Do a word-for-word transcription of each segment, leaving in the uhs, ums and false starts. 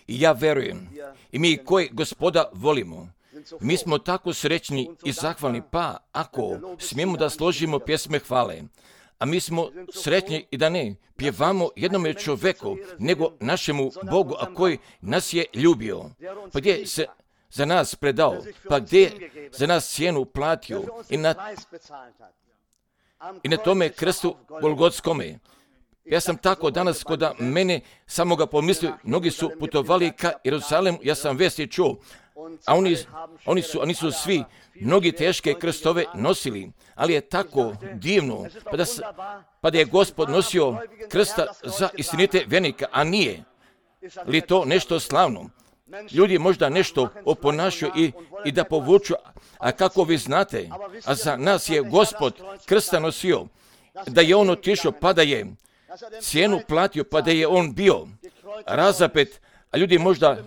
I ja verujem, i mi koji Gospoda volimo, mi smo tako srećni i zahvalni, pa ako smijemo da složimo pjesme hvale, a mi smo sretni i da ne pjevamo jednome čovjeku, nego našemu Bogu, a koji nas je ljubio, pa gdje se za nas predao, pa gdje je za nas cijenu platio i na, i na tome krstu Golgotskome. Ja sam tako danas kod mene samoga pomislio, mnogi su putovali ka Jerusalemu, ja sam vesti čuo, a oni, oni, su, oni su svi mnogi teške krstove nosili, ali je tako divno, pa da, pa da je Gospod nosio krsta za istinite vjernika, a nije li to nešto slavno? Ljudi možda nešto oponašaju i, i da povuču, a kako vi znate, a za nas je Gospod krsta nosio, da je on otišao, pa da je cijenu platio, pa da je on bio razapet, a ljudi možda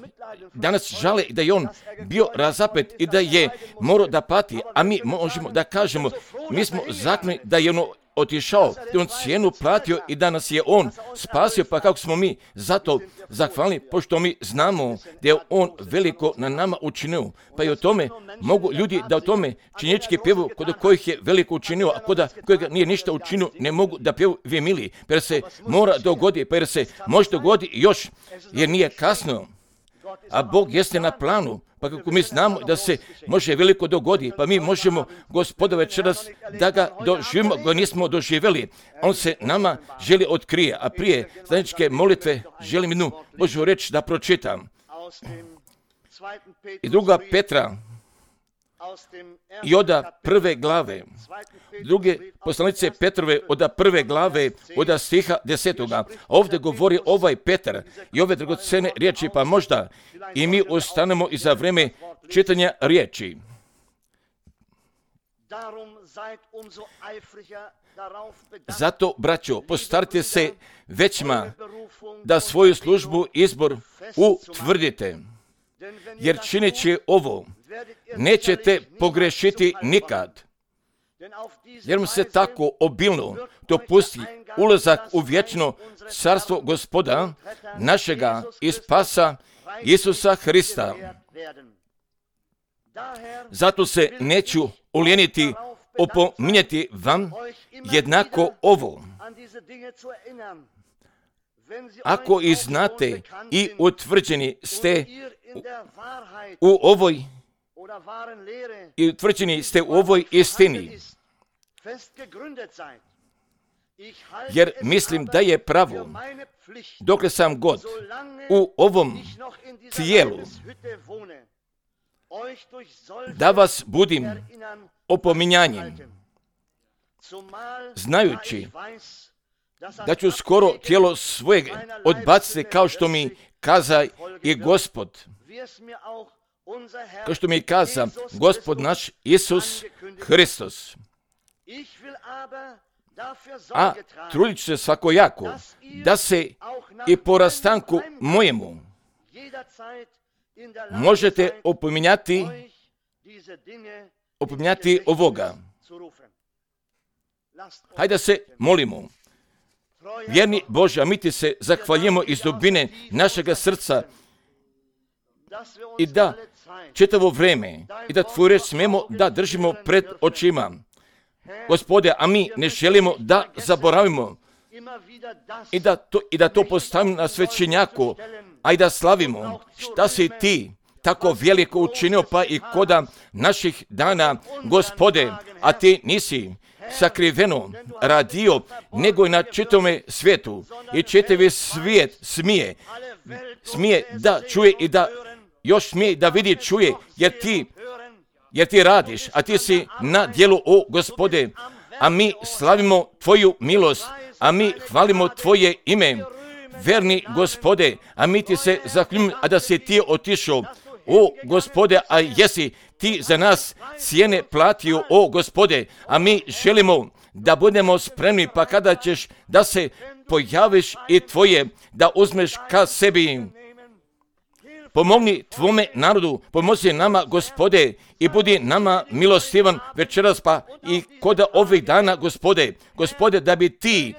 danas žale da je on bio razapet i da je morao da pati, a mi možemo da kažemo, mi smo zakoni da je on otišao, da je on cijenu platio i da nas je on spasio, pa kako smo mi zato zahvalni, pošto mi znamo da je on veliko na nama učinio, pa i o tome mogu ljudi da o tome činjenički pjevu kod kojih je veliko učinio, a kod kojega nije ništa učinio, ne mogu da pjevu vi mili, jer se mora dogodi, pa jer se može dogodi još, jer nije kasno, a Bog jeste na planu. Pa kako mi znamo da se može veliko dogodi, pa mi možemo Gospoda večeras da ga doživimo, ga nismo doživjeli. On se nama želi otkrije, a prije zajedničke molitve želim jednu Božju reč da pročitam. I druga Petra, i oda prve glave, druge poslanice Petrove oda prve glave, oda stiha desetoga. Ovdje govori ovaj Petar i ove dragocene riječi, pa možda i mi ostanemo i za vrijeme čitanja riječi. Zato, braćo, postarite se većma da svoju službu izbor utvrdite, jer čineći ovo, nećete pogrešiti nikad, jer mu se tako obilno dopusti ulazak u vječno carstvo Gospoda, našega i spasa Isusa Hrista. Zato se neću ulijeniti opominjati vam jednako ovo. Ako i znate i utvrđeni ste u ovoj i utvrđeni ste u ovoj istini, jer mislim da je pravo, dokle sam god u ovom tijelu, da vas budim opominjanjem, znajući da ću skoro tijelo svojeg odbaciti, kao što mi kaza i Gospod, kao što mi kaza Gospod naš Isus Hristos. A trudit ću se svakojako da se i po rastanku mojemu možete opominjati, opominjati ovoga. Hajde da se molimo. Vjerni Bože, a mi ti se zahvaljujemo iz dubine našega srca i da čitavo vrijeme i da tvoju reč smijemo da držimo pred očima. Gospode, a mi ne želimo da zaboravimo i da to, i da to postavimo na svećenjaku, a i da slavimo šta si ti tako veliko učinio, pa i koda naših dana, Gospode, a ti nisi sakriveno radio, nego i na čitome svijetu. I čitavi svijet smije, smije da čuje i da još smije da vidi, čuje, jer ti, jer ti radiš, a ti si na djelu, o Gospode, a mi slavimo tvoju milost, a mi hvalimo tvoje ime, verni Gospode, a mi ti se zahvaljujemo, a da si ti otišao, o Gospode, a jesi ti za nas cijene platio, o Gospode, a mi želimo da budemo spremni, pa kada ćeš da se pojaviš i tvoje, da uzmeš ka sebi. Pomogni tvome narodu, pomozi nama, Gospode, i budi nama milostivan večeras, pa i kod ovih dana, Gospode, Gospode, da bi ti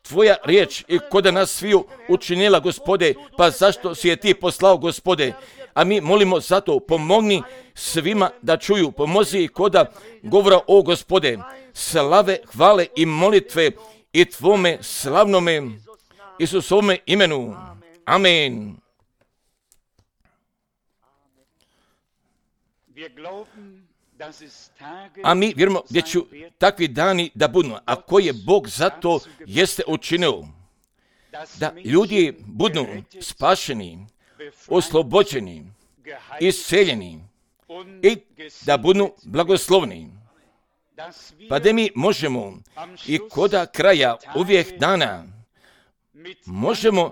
tvoja riječ i koda nas sviju učinila, Gospode, pa zašto si je ti poslao, Gospode? A mi molimo zato, pomogni svima da čuju, pomozi i koda govora o, Gospode, slave, hvale i molitve i tvome slavnome Isusovome imenu. Amen. A mi vjerujemo gdje će takvi dani da budu, a koji je Bog zato jeste učinio, da ljudi budu spašeni, oslobođeni, isceljeni i da budu blagoslovni. Pa da mi možemo i koda kraja uvijek dana možemo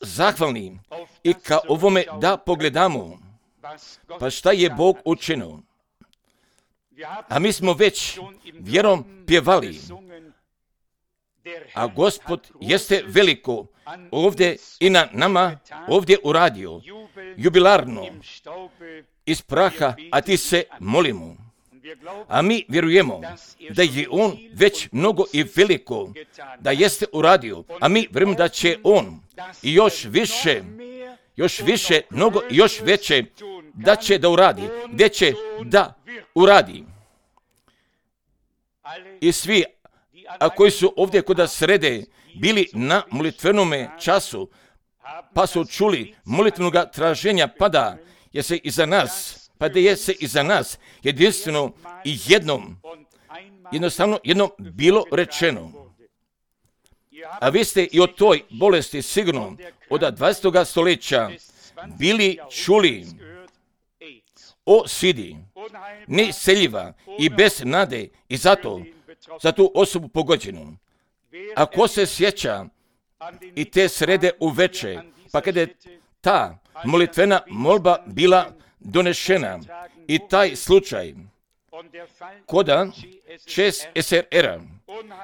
zahvalni i ka ovome da pogledamo, pa šta je Bog učinio. A mi smo već vjerom pjevali, a Gospod jeste veliko ovdje i na nama ovdje uradio, jubilarno, iz praha, a ti se molimo. A mi vjerujemo da je on već mnogo i veliko, da jeste uradio, a mi vjerujemo da će on i još više, još više, mnogo i još veće, da će da uradi, gdje će da uradi. I svi, a koji su ovdje koda srede bili na molitvenome času, pa su čuli molitvenoga traženja, pada je se iza nas, pa da je se iza nas jedinstveno i jednom, jednostavno jednom bilo rečeno. A vi ste i o toj bolesti sigurno od dvadesetog stoljeća bili čuli o sidi, neisceljiva i bez nade i zato za tu osobu pogođenu. A ko se sjeća i te srede uveče, pa kada je ta molitvena molba bila donešena i taj slučaj koda šest S R R-a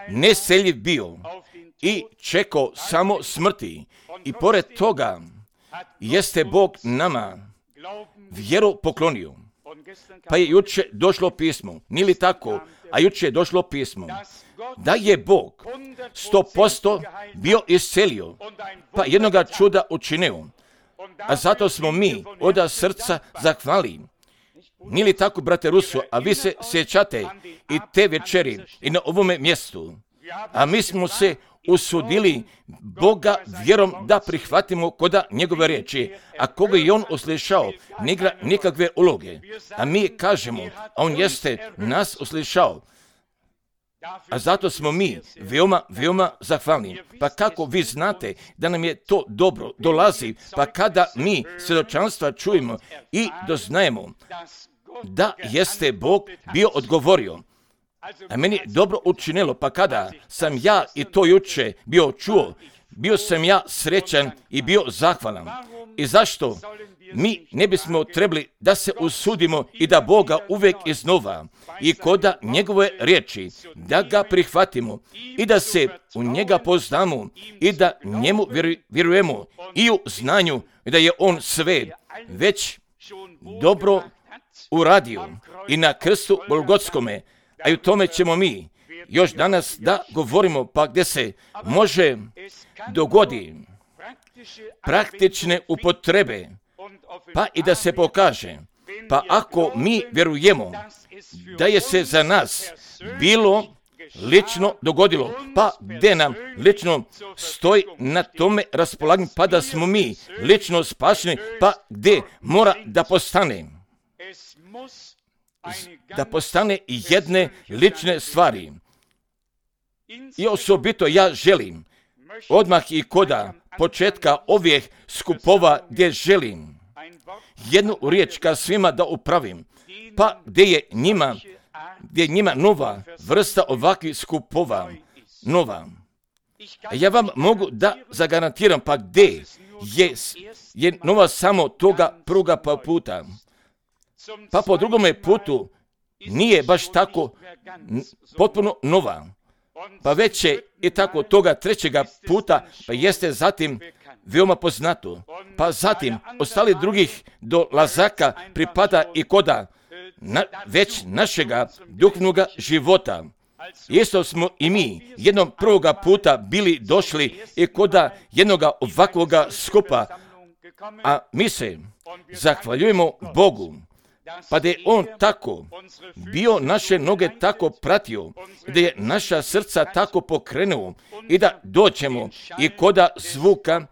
neseljiv bio i čekao samo smrti i pored toga jeste Bog nama vjeru poklonio. Pa je juče došlo pismo, nije li tako, a juče je došlo pismo, da je Bog sto posto bio iscelio, pa jednoga čuda učinio. A zato smo mi od srca zahvali. Nije li tako, brate Ruso, a vi se sjećate i te večeri i na ovome mjestu. A mi smo se usudili Boga vjerom da prihvatimo koda njegove riječi, a koga je on uslišao, ne igra nikakve uloge. A mi kažemo, a on jeste nas uslišao. A zato smo mi veoma, veoma zahvalni. Pa kako vi znate da nam je to dobro dolazi, pa kada mi svjedočanstva čujemo i doznajemo da jeste Bog bio odgovorio. A meni je dobro učinilo, pa kada sam ja i to juče bio čuo, bio sam ja srećan i bio zahvalan. I zašto mi ne bismo trebali da se usudimo i da Boga uvijek iznova i koda njegove riječi, da ga prihvatimo i da se u njega poznamo i da njemu vjerujemo i u znanju da je on sve već dobro uradio i na krstu Golgotskome, a i u tome ćemo mi još danas da govorimo, pa gdje se može dogodi praktične upotrebe, pa i da se pokaže, pa ako mi vjerujemo da je se za nas bilo lično dogodilo, pa gdje nam lično stoji na tome raspolaganju, pa da smo mi lično spašeni, pa gdje mora da postane, da postane jedne lične stvari. I osobito ja želim odmah i koda početka ovih skupova gdje želim jednu riječ ka svima da upravim, pa gdje je njima, gdje je njima nova vrsta ovakvih skupova, nova. Ja vam mogu da zagarantiram, pa gdje je, je nova samo toga pruga pa puta. Pa po drugome putu nije baš tako potpuno nova. Pa već je i tako toga trećega puta, pa jeste zatim veoma poznato. Pa zatim ostali drugih do Lazaka pripada i koda na, već našega duhovnoga života. Isto smo i mi jednom prvoga puta bili došli i koda jednoga ovakvoga skupa, a mi se zahvaljujemo Bogu, pa da je On tako bio naše noge tako pratio, da je naša srca tako pokrenuo i da doćemo i koda zvuka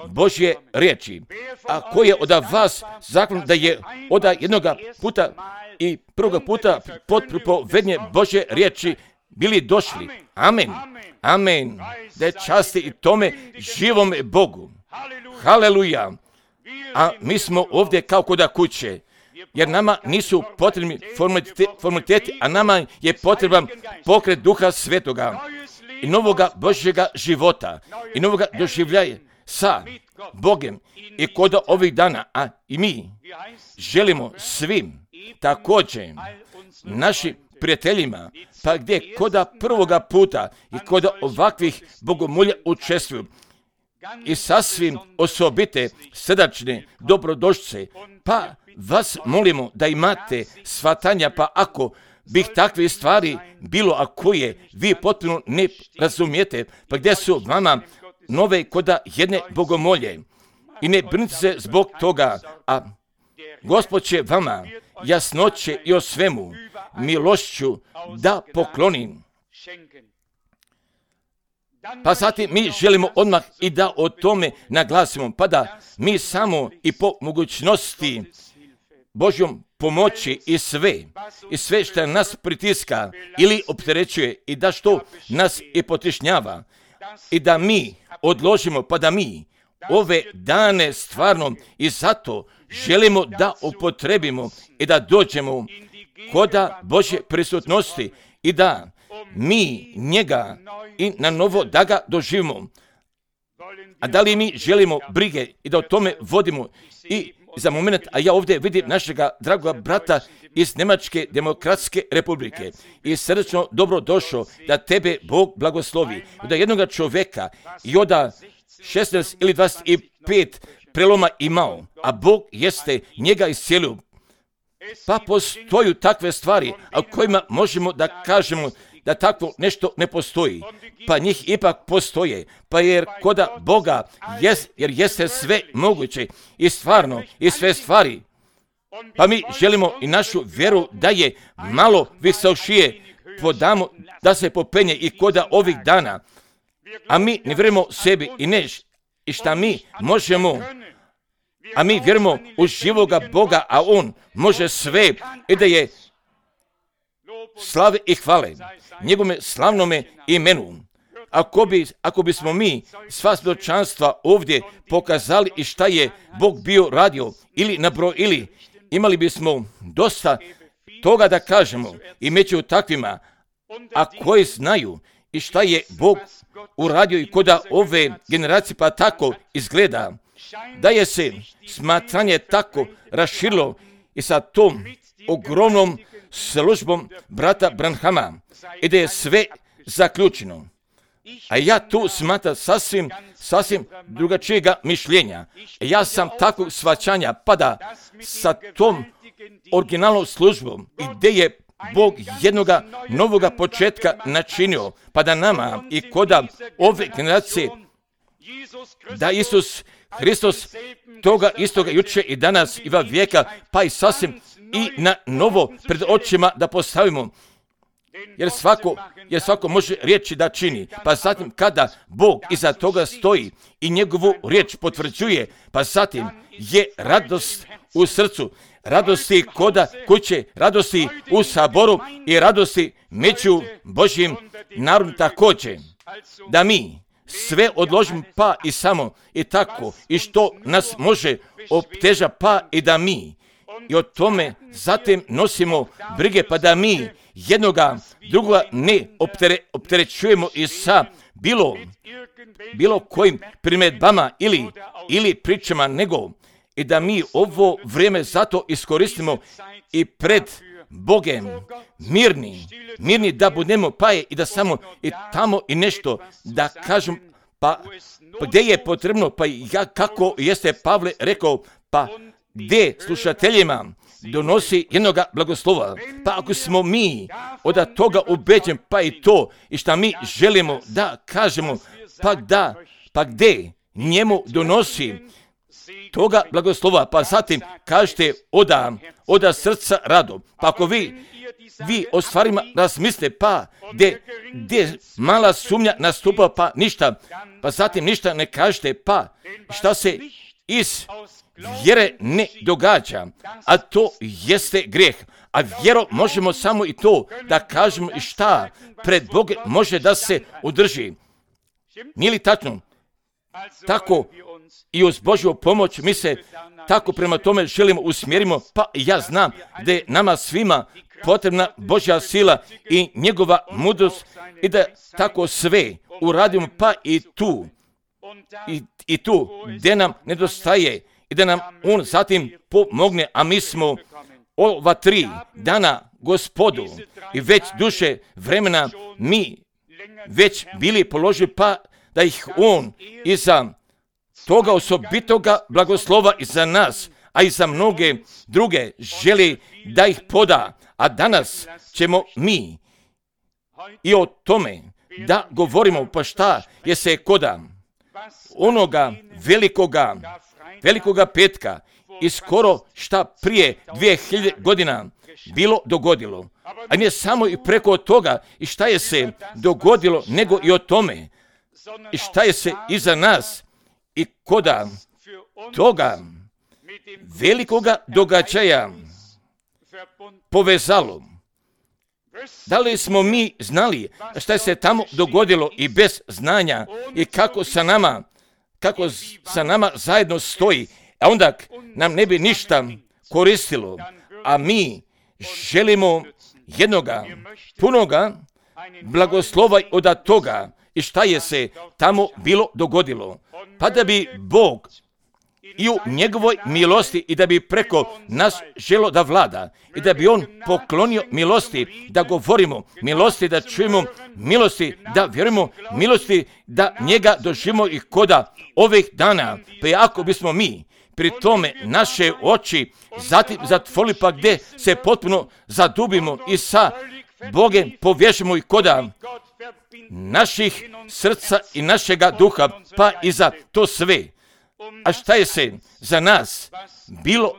Božje riječi. A ko je od vas zakon da je od jednoga puta i prvoga puta pod pripovednje Božje riječi bili došli. Amen. Amen. Da je časti i tome živome Bogu. Haleluja. A mi smo ovdje kao koda kuće, jer nama nisu potrebni formaliteti, a nama je potreban pokret Duha Svetoga i novoga Božjega života i novoga doživljaja sa Bogem i koda ovih dana, a i mi želimo svim također našim prijateljima, pa gdje koda prvoga puta i koda ovakvih bogomolja učestvuju i sasvim osobite srdačne dobrodošlice, pa vas molimo da imate shvatanja, pa ako bih takve stvari bilo, a koje vi potpuno ne razumijete, pa gdje su vama nove koda jedne bogomolje i ne brinite se zbog toga, a Gospod će vama jasnoće i o svemu milošću da poklonim. Pa zatim mi želimo odmah i da o tome naglasimo, pa da mi samo i po mogućnosti Božjom pomoći i sve, i sve što nas pritiska ili opterećuje i da što nas i potišnjava i da mi odložimo, pa da mi ove dane stvarno i zato želimo da upotrebimo i da dođemo koda Božje prisutnosti i da mi njega i na novo da ga doživimo. A da li mi želimo brige i da o tome vodimo i za moment, a ja ovdje vidim našega dragoga brata iz Njemačke demokratske republike i srdečno dobro došao da tebe Bog blagoslovi. Da jednoga čovjeka i oda šesnaest ili dvadeset pet preloma imao, a Bog jeste njega iscijelio. Pa postoju takve stvari, a kojima možemo da kažemo da takvo nešto ne postoji. Pa njih ipak postoje, pa jer koda Boga, jes, jer jeste sve moguće i stvarno i sve stvari. Pa mi želimo i našu vjeru da je malo visošije podamo da se popenje i koda ovih dana. A mi ne vjerujemo sebi i ne i šta mi možemo, a mi vjerujemo u živoga Boga, a On može sve i da je slave i hvale njegovome slavnome imenu. Ako, bi, ako bismo mi sva svjedočanstva ovdje pokazali i šta je Bog bio radio ili nabrojili, imali bismo dosta toga da kažemo i među takvima, a koji znaju i šta je Bog uradio i koda ove generacije pa tako izgleda, da je se smatranje tako raširilo i sa tom ogromnom službom brata Branhama i da je sve zaključeno. A ja tu smatram sasvim, sasvim drugačijega mišljenja. Ja sam takvog shvaćanja, pa da sa tom originalnom službom i gdje je Bog jednoga novoga početka načinio, pa da nama i koda ove generacije, da Isus Hristos toga istoga juče i danas i va vijeka, pa i sasvim i na novo pred očima da postavimo. Jer svako, jer svako može riječi da čini, pa zatim kada Bog iza toga stoji i njegovu riječ potvrđuje, pa zatim je radost u srcu, radosti koda kuće, radosti u saboru i radosti među Božjim narodom također. Da mi sve odložimo pa i samo i tako i što nas može opteža pa i da mi i o tome zatim nosimo brige pa da mi jednoga drugoga ne optere, opterećujemo i sa bilo, bilo kojim primjedbama ili, ili pričama nego i da mi ovo vrijeme zato iskoristimo i pred Bogem mirni, mirni da budemo pa je i da samo i tamo i nešto da kažem pa, pa gdje je potrebno pa ja kako jeste Pavle rekao pa gdje slušateljima donosi jednoga blagoslova. Pa ako smo mi od toga ubeđeni, pa i to, i šta mi želimo da kažemo, pa da, pa gde njemu donosi toga blagoslova, pa zatim kažete oda, oda srca rado. Pa ako vi, vi o stvarima razmislite, pa gde, gde mala sumnja nastupa, pa ništa, pa zatim ništa ne kažete, pa šta se iz vjere ne događa, a to jeste grijeh. A vjero možemo samo i to da kažemo i šta pred Bogom može da se održi. Nije li tačno? Tako i uz Božju pomoć mi se tako prema tome želimo usmjerimo, pa ja znam da je nama svima potrebna Božja sila i njegova mudrost i da tako sve uradimo, pa i tu, i, i tu gdje nam nedostaje i da nam on zatim pomogne, a mi smo ova tri dana Gospodu i već duže vremena mi već bili položili, pa da ih on iza toga osobitoga blagoslova i za nas, a i za mnoge druge želi da ih poda. A danas ćemo mi i o tome da govorimo, pa šta je se koda onoga velikoga, velikoga petka i skoro šta prije dvije hiljade godina bilo dogodilo. A nije samo i preko toga i šta je se dogodilo, nego i o tome i šta je se iza nas i koda toga velikoga događaja povezalo. Da li smo mi znali šta se tamo dogodilo i bez znanja i kako sa nama, kako sa nama zajedno stoji, a onda nam ne bi ništa koristilo, a mi želimo jednoga punoga blagoslova od toga i šta je se tamo bilo dogodilo. Pa da bi Bog i u njegovoj milosti i da bi preko nas želo da vlada i da bi on poklonio milosti da govorimo, milosti da čujemo, milosti da vjerujemo, milosti da njega doživimo i koda ovih dana. Pa ako bismo mi pri tome naše oči zatim zatvorili, pa gdje se potpuno zadubimo i sa Bogem povješimo i koda naših srca i našega duha, pa i za to sve. A šta je se za nas bilo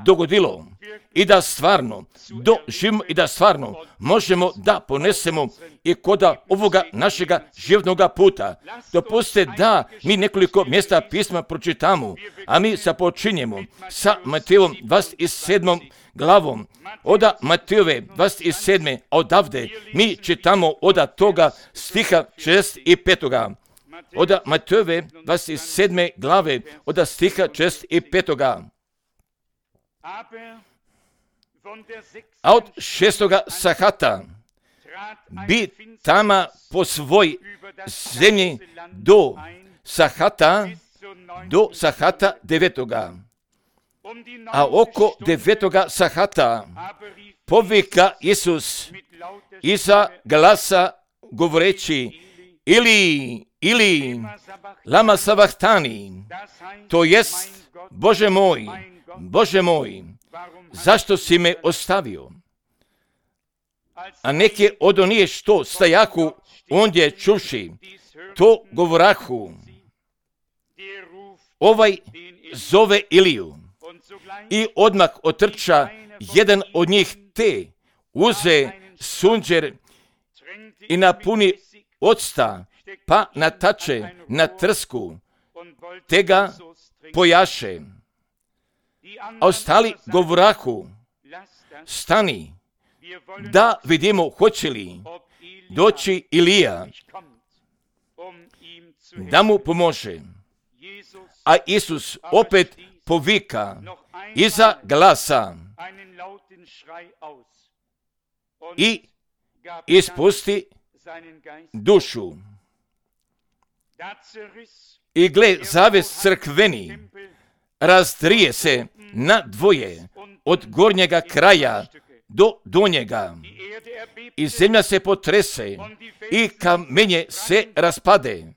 dogodilo i da stvarno doživimo i da stvarno možemo da ponesemo i koda ovoga našega životnoga puta. Dopustite da mi nekoliko mjesta pisma pročitamo, a mi započinjemo sa Matejevom dvadeset sedmom glavom. Oda Matejove dvadeset sedme, a odavde mi čitamo oda toga stiha šezdeset petog Oda Matejove dvadeset sedme glave, oda stiha šezdeset petog A od šestoga sahata bi tama po svoj zemlji do sahata, do sahata devetoga. A oko devetoga sahata povika Isus iza glasa govoreći ili, ili lama sabachthani, to jest Bože moj, Bože moj, zašto si me ostavio? A neke od onije što stajaku ondje čuši, to govorahu, ovaj zove Iliju. I odmah otrča jedan od njih te, uze sunđer i napuni octa, pa natače na trsku, te ga pojaše. A ostali govorahu, stani, da vidimo hoće li doći Ilija, da mu pomože. A Isus opet povika iza glasa i ispusti dušu. I gle, zaves crkveni razdrije se na dvoje od gornjega kraja do donjega. I zemlja se potrese i kamenje se raspade.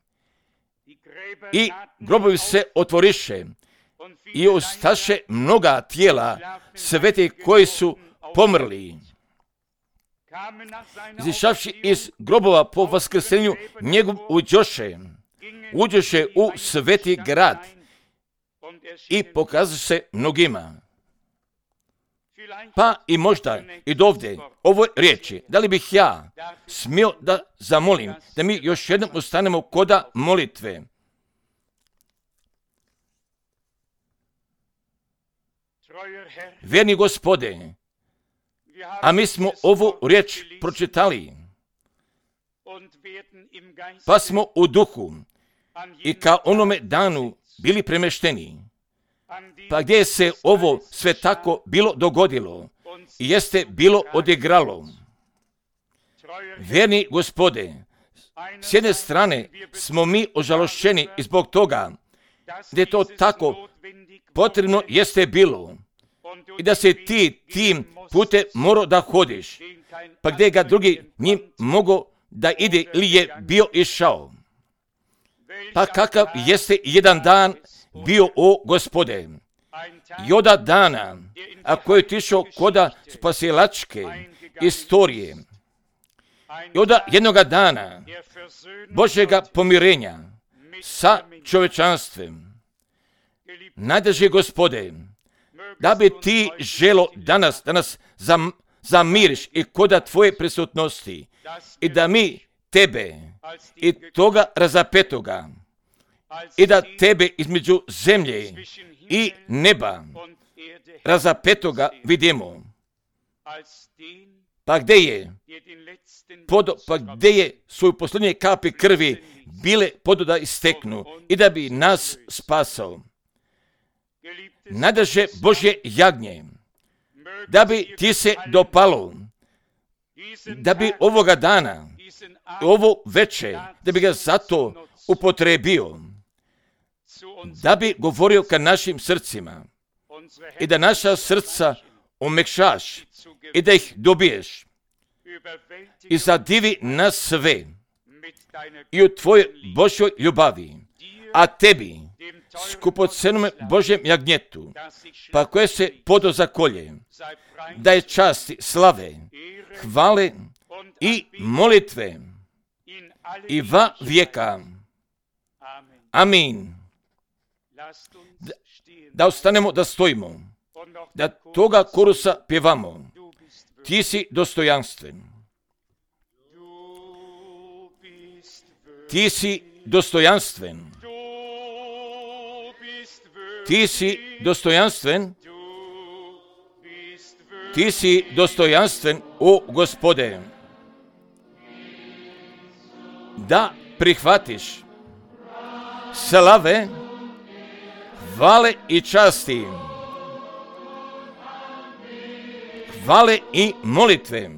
I grobovi se otvoriše i ostaše mnoga tijela sveti koji su pomrli. Izišavši iz grobova po vaskrsenju njegov uđoše, uđoše u sveti grad i pokazuje se mnogima. Pa i možda i dovde ovoj riječi, da li bih ja smio da zamolim da mi još jednom ustanemo koda molitve. Vjerni Gospode, a mi smo ovu riječ pročitali, pa smo u duhu i kao onome danu bili premešteni. Pa gdje se ovo sve tako bilo dogodilo i jeste bilo odigralo. Vjerni Gospode, s jedne strane smo mi ožalošćeni i zbog toga gdje je to tako potrebno jeste bilo i da se ti tim putem morao da hodiš, pa gdje ga drugi njim mogo da ide ili je bio išao. Pa kakav jeste jedan dan bio, o Gospode, i oda dana, a koji je tišao koda spasilačke istorije, i oda jednoga dana Božjega pomirenja sa čovječanstvom. Najdraži Gospode, da bi ti želo danas, danas zam, zamiriš i koda tvoje prisutnosti i da mi tebe i toga razapetoga i da tebe između zemlje i neba razapetoga vidimo. Pa gdje je podo, pa gdje je svoju posljednje kapi krvi bile podo da isteknu i da bi nas spasao. Najdraže Božje jagnje, da bi ti se dopalo, da bi ovoga dana, ovo veče, da bi ga zato upotrebio, da bi govorio ka našim srcima i da naša srca omekšaš i da ih dobiješ i zadivi nas sve i u tvojoj Božjoj ljubavi, a tebi, skupocenome Božjem jagnjetu, pa koje se podo zakolje, da je časti, slave, hvale i molitve i va vijeka. Amin. Da, da ostanemo, da stojimo, da toga korusa pjevamo. Ti si dostojanstven. Ti si dostojanstven. Ti si dostojanstven. Ti si dostojanstven, o Gospode. Da prihvatiš slave, hvale i časti, hvale i molitve.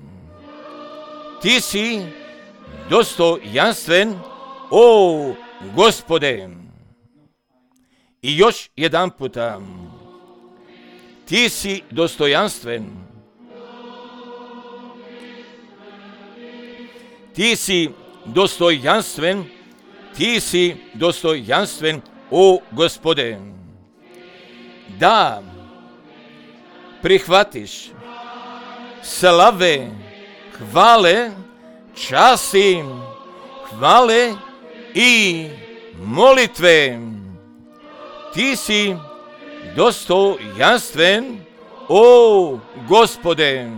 Ti si dostojanstven, o Gospode. I još jedan puta, ti si dostojanstven. Ti si dostojanstven, ti si dostojanstven, o Gospode. Da prihvatiš slave, hvale, časti, hvale i molitve. Ti si dostojanstven, o Gospode.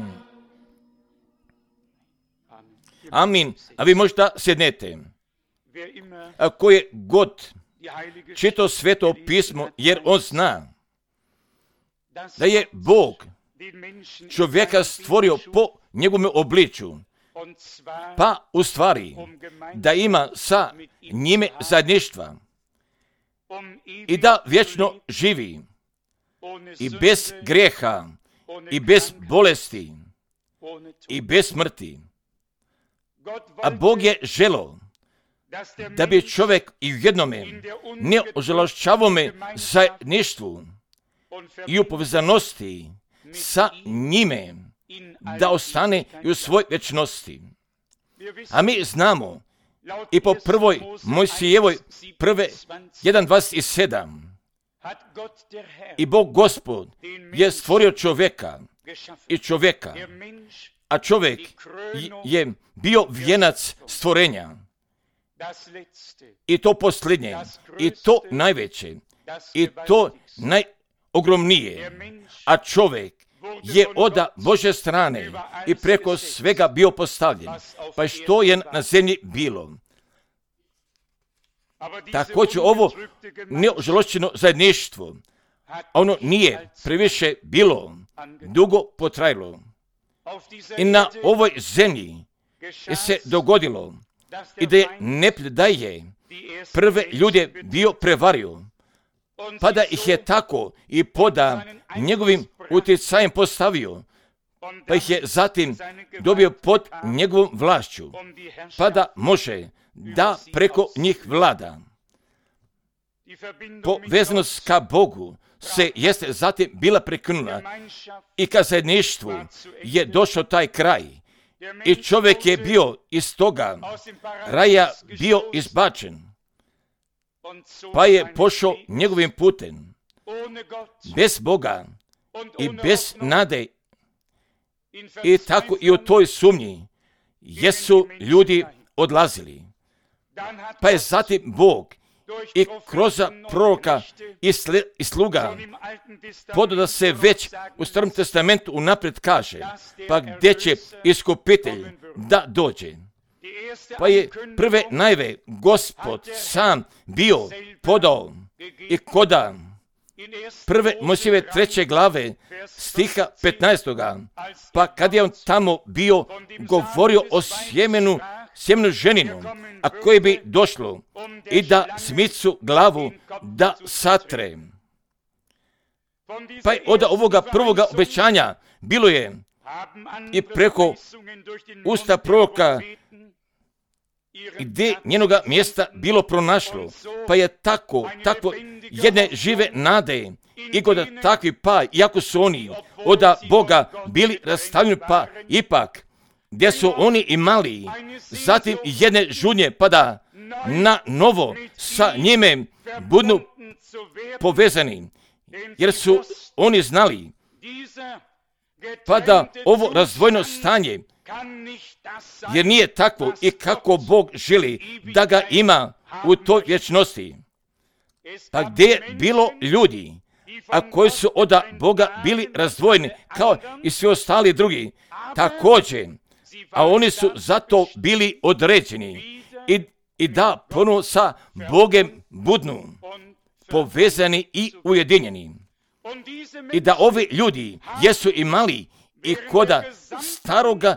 Amin. A vi možda sjednete. Ako je god čito sveto pismo, jer on zna da je Bog čovjeka stvorio po njegovom obliču, pa u stvari da ima sa njime zajedništva i da vječno živi i bez grijeha i bez bolesti i bez smrti. A Bog je želo da bi čovjek i u jednome neožalošćavome zajedništvu i u povezanosti sa njime da ostane i u svoj vječnosti. A mi znamo i po prvoj Mojsijevoj prve jedan dvadeset sedam I Bog Gospod je stvorio čovjeka i čovjeka, a čovjek je bio vijenac stvorenja. I to posljednje, i to najveće, i to najogromnije, a čovjek je od Božje strane i preko svega bio postavljen. Pa što je na zemlji bilo? Također ovo neožalošćeno zajedništvo, ono nije previše bilo dugo potrajalo. I na ovoj zemlji je se dogodilo i da je neprijatelj da je prve ljude bio prevario, pa da ih je tako i poda njegovim utjecajem postavio, pa ih je zatim dobio pod njegovom vlašću, pa da može da preko njih vlada. Povezanost ka Bogu se jeste zatim bila prekinula i ka zajedništvu je došao taj kraj. I čovjek je bio iz toga raja bio izbačen, pa je pošao njegovim putem. Bez Boga i bez nade i tako i u toj sumnji jesu ljudi odlazili. Pa je zatim Bog i kroz proroka i, sle, i sluga podao da se već u Starom testamentu unaprijed kaže, pa gdje će iskupitelj da dođe. Pa je prve najve Gospod sam bio podao i koda prve Mojsijeve treće glave stiha petnaestoga. Pa kad je on tamo bio govorio o sjemenu, sjemenu ženinu, a koje bi došlo i da zmicu glavu da satre. Pa je od ovoga prvoga obećanja bilo je i preko usta proroka gdje njenoga mjesta bilo pronašlo, pa je tako, tako jedne žive nade i kod takvi pa, iako su oni od Boga bili rastavljeni, pa ipak gdje su oni imali zatim jedne žudnje, pa da na novo sa njime budu povezani, jer su oni znali, pa da ovo razdvojeno stanje, jer nije tako i kako Bog želi da ga ima u toj vječnosti. Pa gdje je bilo ljudi, a koji su od Boga bili razdvojeni, kao i svi ostali drugi, također, a oni su zato bili određeni i, i da ponovno sa Bogem budnu povezani i ujedinjeni. I da ovi ljudi jesu imali i koda staroga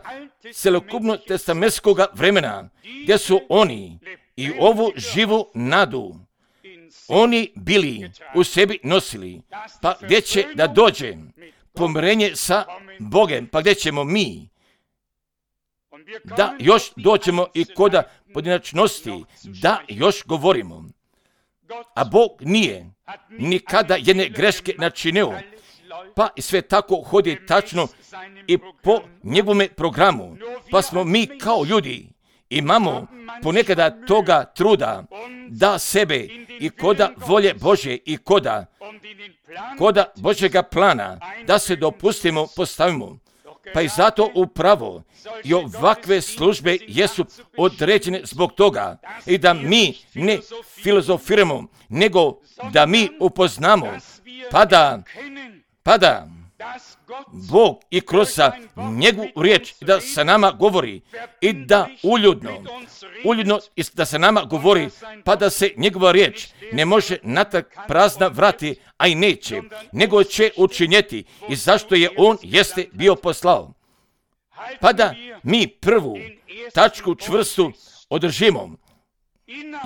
celokupno testamentskog vremena, gdje su oni i ovu živu nadu oni bili u sebi nosili, pa gdje će da dođe pomirenje sa Bogem, pa gdje ćemo mi da još doćemo i koda pojedinačnosti, da još govorimo. A Bog nije nikada jedne greške načinio, pa i sve tako hodi tačno i po njegovome programu. Pa smo mi kao ljudi imamo ponekada toga truda da sebe i koda volje Božje i koda, koda Božjega plana da se dopustimo, postavimo. Pa i zato upravo i ovakve službe jesu određene zbog toga i da mi ne filozofiramo, nego da mi upoznamo, pa da, pa da Bog i kroz njegovu riječ da sa nama govori i da uljudno, uljudno da sa nama govori, pa da se njegova riječ ne može natrag prazna vrati, a i neće, nego će učinjeti i zašto je on jeste bio poslao. Pa da mi prvu tačku čvrstu održimo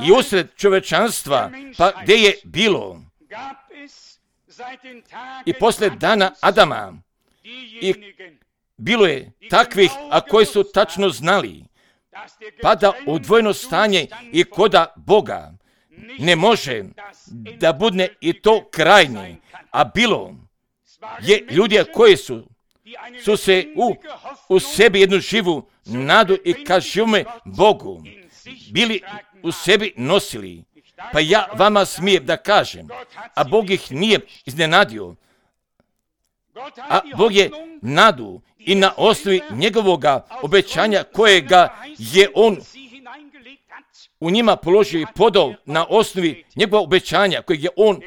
i usred čovečanstva, pa gdje je bilo i poslije dana Adama i bilo je takvih, a koji su tačno znali, pa da odvojeno stanje i koda Boga ne može da bude i to krajnje, a bilo je ljudi koji su, su se u, u sebi jednu živu nadu i ka živome Bogu bili u sebi nosili. Pa ja vama smijem da kažem, a Bog ih nije iznenadio, a Bog je nadu i na osnovi njegovoga obećanja kojega je on u njima položio i podao na osnovi njegova obećanja kojeg je on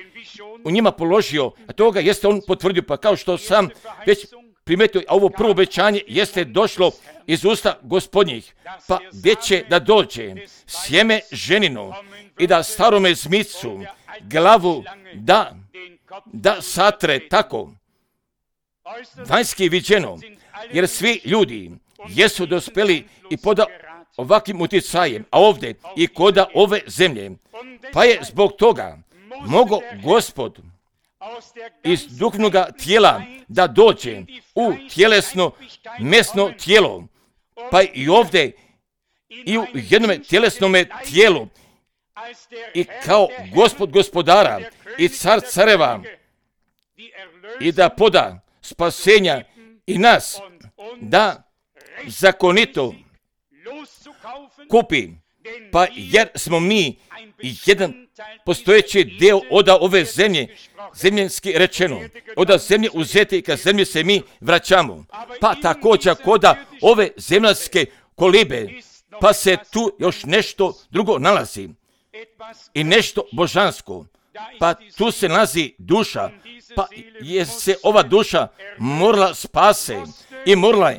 u njima položio, a toga jeste on potvrdio. Pa kao što sam već primetio, a ovo prvo obećanje jeste došlo iz usta Gospodnjih, pa gdje će da dođe sjeme ženino i da starome zmicu glavu da, da satre tako. Vanjski viđeno, jer svi ljudi jesu dospeli i pod ovakvim utjecajem, a ovdje i koda ove zemlje, pa je zbog toga mogo Gospod iz duhovnog tijela da dođe u tjelesno mesno tijelo, pa i ovdje i u jednom tjelesnom tijelu i kao Gospod gospodara i car careva i da poda spasenja i nas da zakonito kupi, pa jer smo mi jedan postojeći deo od ove zemlje, zemljenski rečeno, od zemlje uzeti i ka zemlji se mi vraćamo. Pa također koda ove zemljanske kolibe, pa se tu još nešto drugo nalazi i nešto božansko. Pa tu se nalazi duša, pa je se ova duša morala spase i morala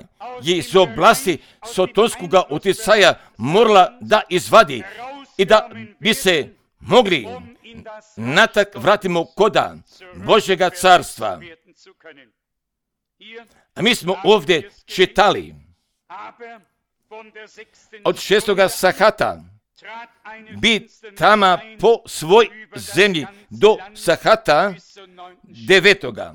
je iz oblasti sotonskog utjecaja morala da izvadi i da bi se mogli natak vratimo koda Božjega carstva. A mi smo ovdje čitali od šestoga sahata bi tama po svoj zemlji do sahata devetoga.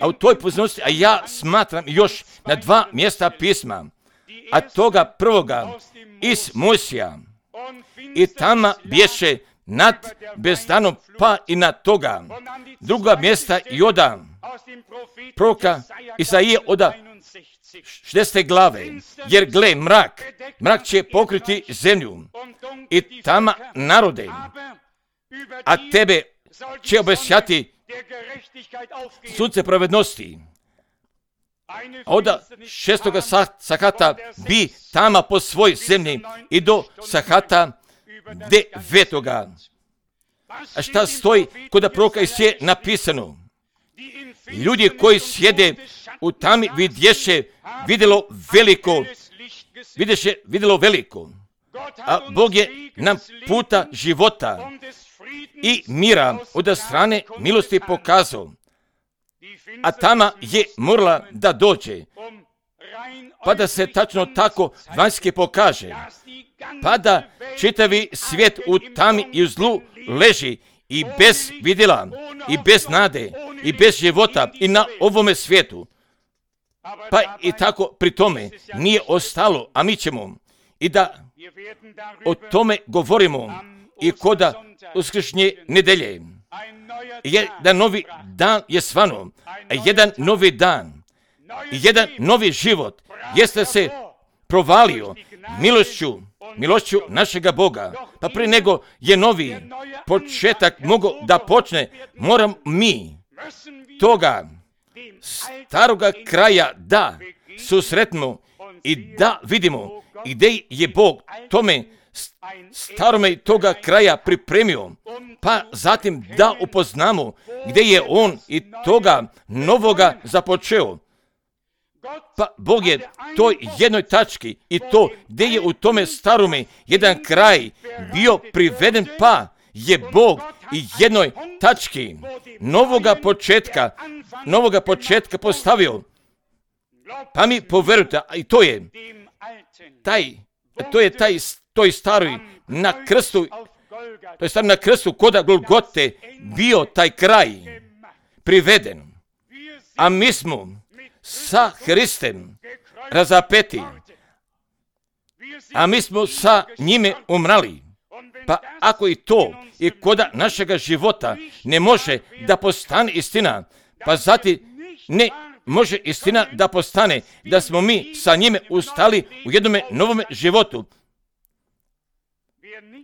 A u toj pozornosti, a ja smatram još na dva mjesta pisma, a toga prvoga iz Mojsija i tama bješe nad bezdanom pa i na toga. Druga mjesta i oda proroka Isaije oda šestdesete glave, jer gle mrak, mrak će pokriti zemlju i tama narode, a tebe će obesjati sunce pravednosti. Oda šestoga sahata bi tama po svoj zemlji i do sahata devetoga. A šta stoji kod proroka Isaije napisano? Ljudi koji sjede u tami vidješe vidjelo veliko, vidješe vidjelo veliko. A Bog je nam puta života i mira od strane milosti pokazao. A tama je morala da dođe, pa da se tačno tako vanjski pokaže, pa da čitavi svijet u tami i u zlu leži i bez vidjela, i bez nade, i bez života i na ovome svijetu. Pa i tako pri tome nije ostalo, a mi ćemo i da o tome govorimo i koda uskršnje nedelje. Jedan novi dan je svano, jedan novi dan, jedan novi život jeste se provalio milošću, milošću našega Boga. Pa prije nego je novi početak mogo da počne, moram mi toga staroga kraja da susretimo i da vidimo gdje je Bog tome starome toga kraja pripremio, pa zatim da upoznamo gdje je on i toga novoga započeo. Pa Bog je toj jednoj tački i to gdje je u tome starome jedan kraj bio priveden, pa je Bog i jednoj tački novoga početka, novoga početka postavio. Pa mi poverujte, i to je taj, to je taj toj staroj na krstu, to je staro na krstu koda Golgote bio taj kraj priveden. A mi smo sa Hristem razapeti, a mi smo sa njime umrali. Pa ako i to i koda našega života ne može da postane istina, pa zatim ne može istina da postane da smo mi sa njime ustali u jednome novome životu.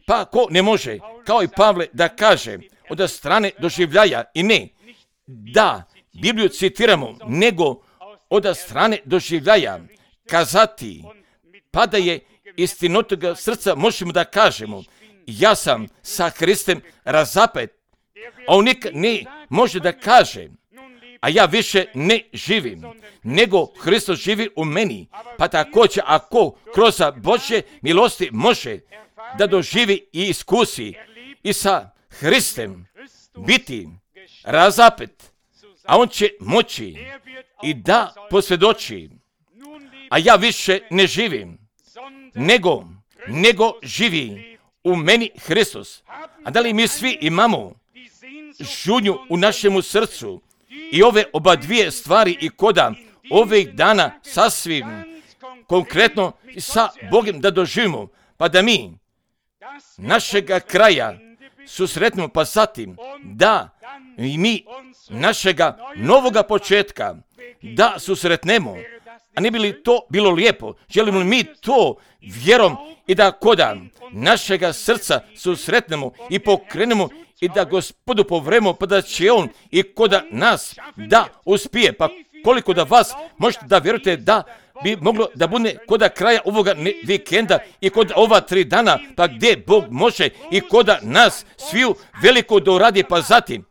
Pa ko ne može, kao i Pavle, da kaže od strane doživljaja i ne da Bibliju citiramo, nego od strane doživljaja kazati, pa da je istinitoga srca možemo da kažemo, ja sam sa Hristem razapet, a on nikad ne može da kaže, a ja više ne živim, nego Hristos živi u meni. Pa također, ako kroz Božje milosti može da doživi i iskusi i sa Hristem biti razapet, a on će moći i da posvjedoči, a ja više ne živim, nego, nego živi u meni Hristos. A da li mi svi imamo žudnju u našemu srcu i ove oba dvije stvari i koda ovih dana sasvim konkretno sa Bogom da doživimo, pa da mi našega kraja susretnemo, pa zatim da i mi našega novoga početka da susretnemo. A ne bi li to bilo lijepo? Želimo li mi to vjerom i da koda našega srca susretnemo i pokrenemo i da Gospodu povremo, pa da će On i koda nas da uspije. Pa koliko da vas možete da vjerujete da bi moglo da bude koda kraja ovoga vikenda i kod ova tri dana, pa gdje Bog može i koda nas sviju veliko da uradi, pa zatim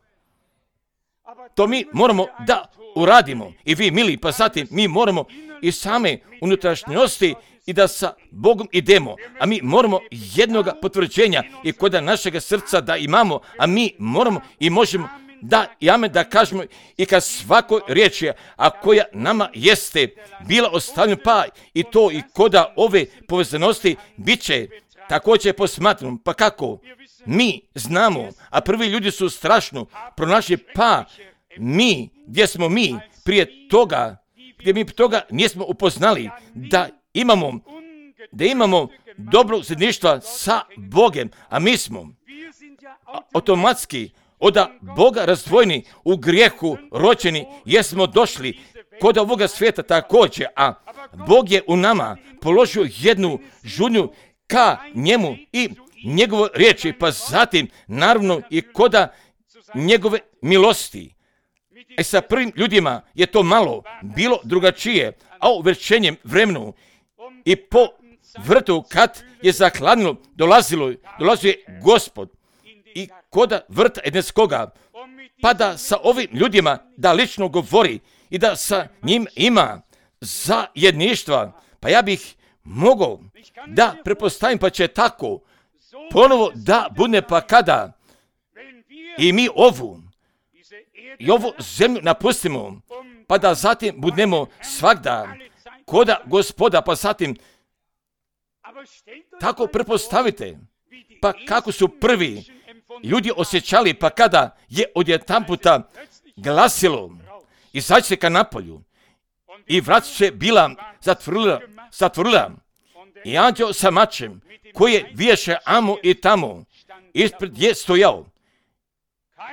to mi moramo da uradimo. I vi, mili, pa zatim mi moramo i same unutrašnjosti i da sa Bogom idemo, a mi moramo jednoga potvrđenja i koda našega srca da imamo, a mi moramo i možemo da i amen da kažemo i kad svakoj riječi, a koja nama jeste bila ostavljena, pa i to i koda ove povezanosti bit će također posmatrano. Pa kako? Mi znamo, a prvi ljudi su strašno pronašli, pa mi, gdje smo mi prije toga, gdje mi toga nismo upoznali da imamo, da imamo dobro zajedništva sa Bogom, a mi smo automatski od Boga razdvojeni, u grijehu rođeni, jesmo došli kod ovoga svijeta također, a Bog je u nama položio jednu žudnju ka njemu i njegove riječi, pa zatim naravno i koda njegove milosti. E sa prvim ljudima je to malo bilo drugačije, a u večernjem vremenu i po vrtu kad je zahladnilo, dolazilo, dolazio je Gospod i koda vrta Edenskoga, pa da sa ovim ljudima da lično govori i da sa njim ima zajedništva. Pa ja bih mogao da prepostavim, pa će tako ponovo da bude, pa kada i mi ovu i ovu zemlju napustimo, pa da zatim budemo svagda koda Gospoda, pa zatim tako prepostavite, pa kako su prvi ljudi osjećali, pa kada je odjedanputa glasilo, izađite ka napolju i vrat se bila zatvorila, zatvorila i anđeo sa mačem koji je viješe amo i tamo ispred je stojao.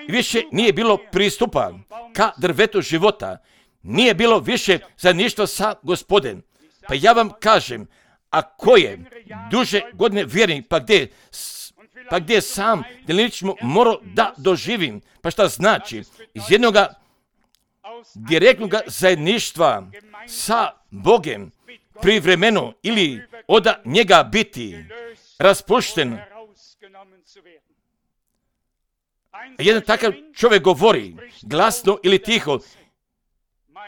Više nije bilo pristupa ka drvetu života, nije bilo više zajedništva sa Gospodem. Pa ja vam kažem, ako je duže godine vjernik, pa gdje, pa gdje sam delinično morao da doživim, pa šta znači? Iz jednoga direktnog zajedništva sa Bogem privremeno ili od njega biti raspušten. Jedan takav čovjek govori glasno ili tiho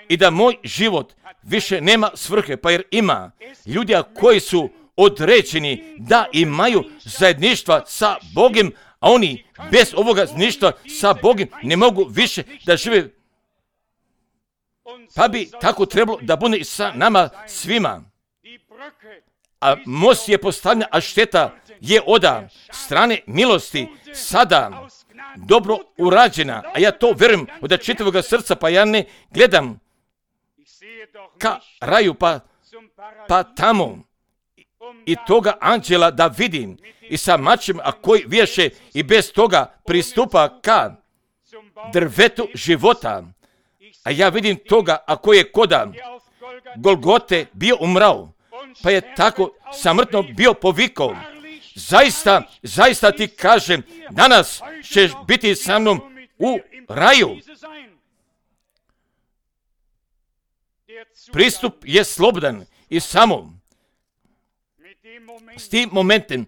i da moj život više nema svrhe, pa jer ima ljudi koji su određeni da imaju zajedništva sa Bogom, a oni bez ovoga zajedništva sa Bogom ne mogu više da žive. Pa bi tako trebalo da bude i sa nama svima. A most je postavljen, a šteta je od strane milosti sada dobro urađena, a ja to vjerujem od čitavog srca, pa ja ne gledam ka raju, pa, pa tamo i toga anđela da vidim i sa mačem, a koji viješe i bez toga pristupa ka drvetu života. A ja vidim toga, a koji je koda Golgote bio umrao, pa je tako samrtno bio povikao, zaista, zaista ti kažem, danas ćeš biti sa mnom u raju. Pristup je slobodan i samo s tim momentom,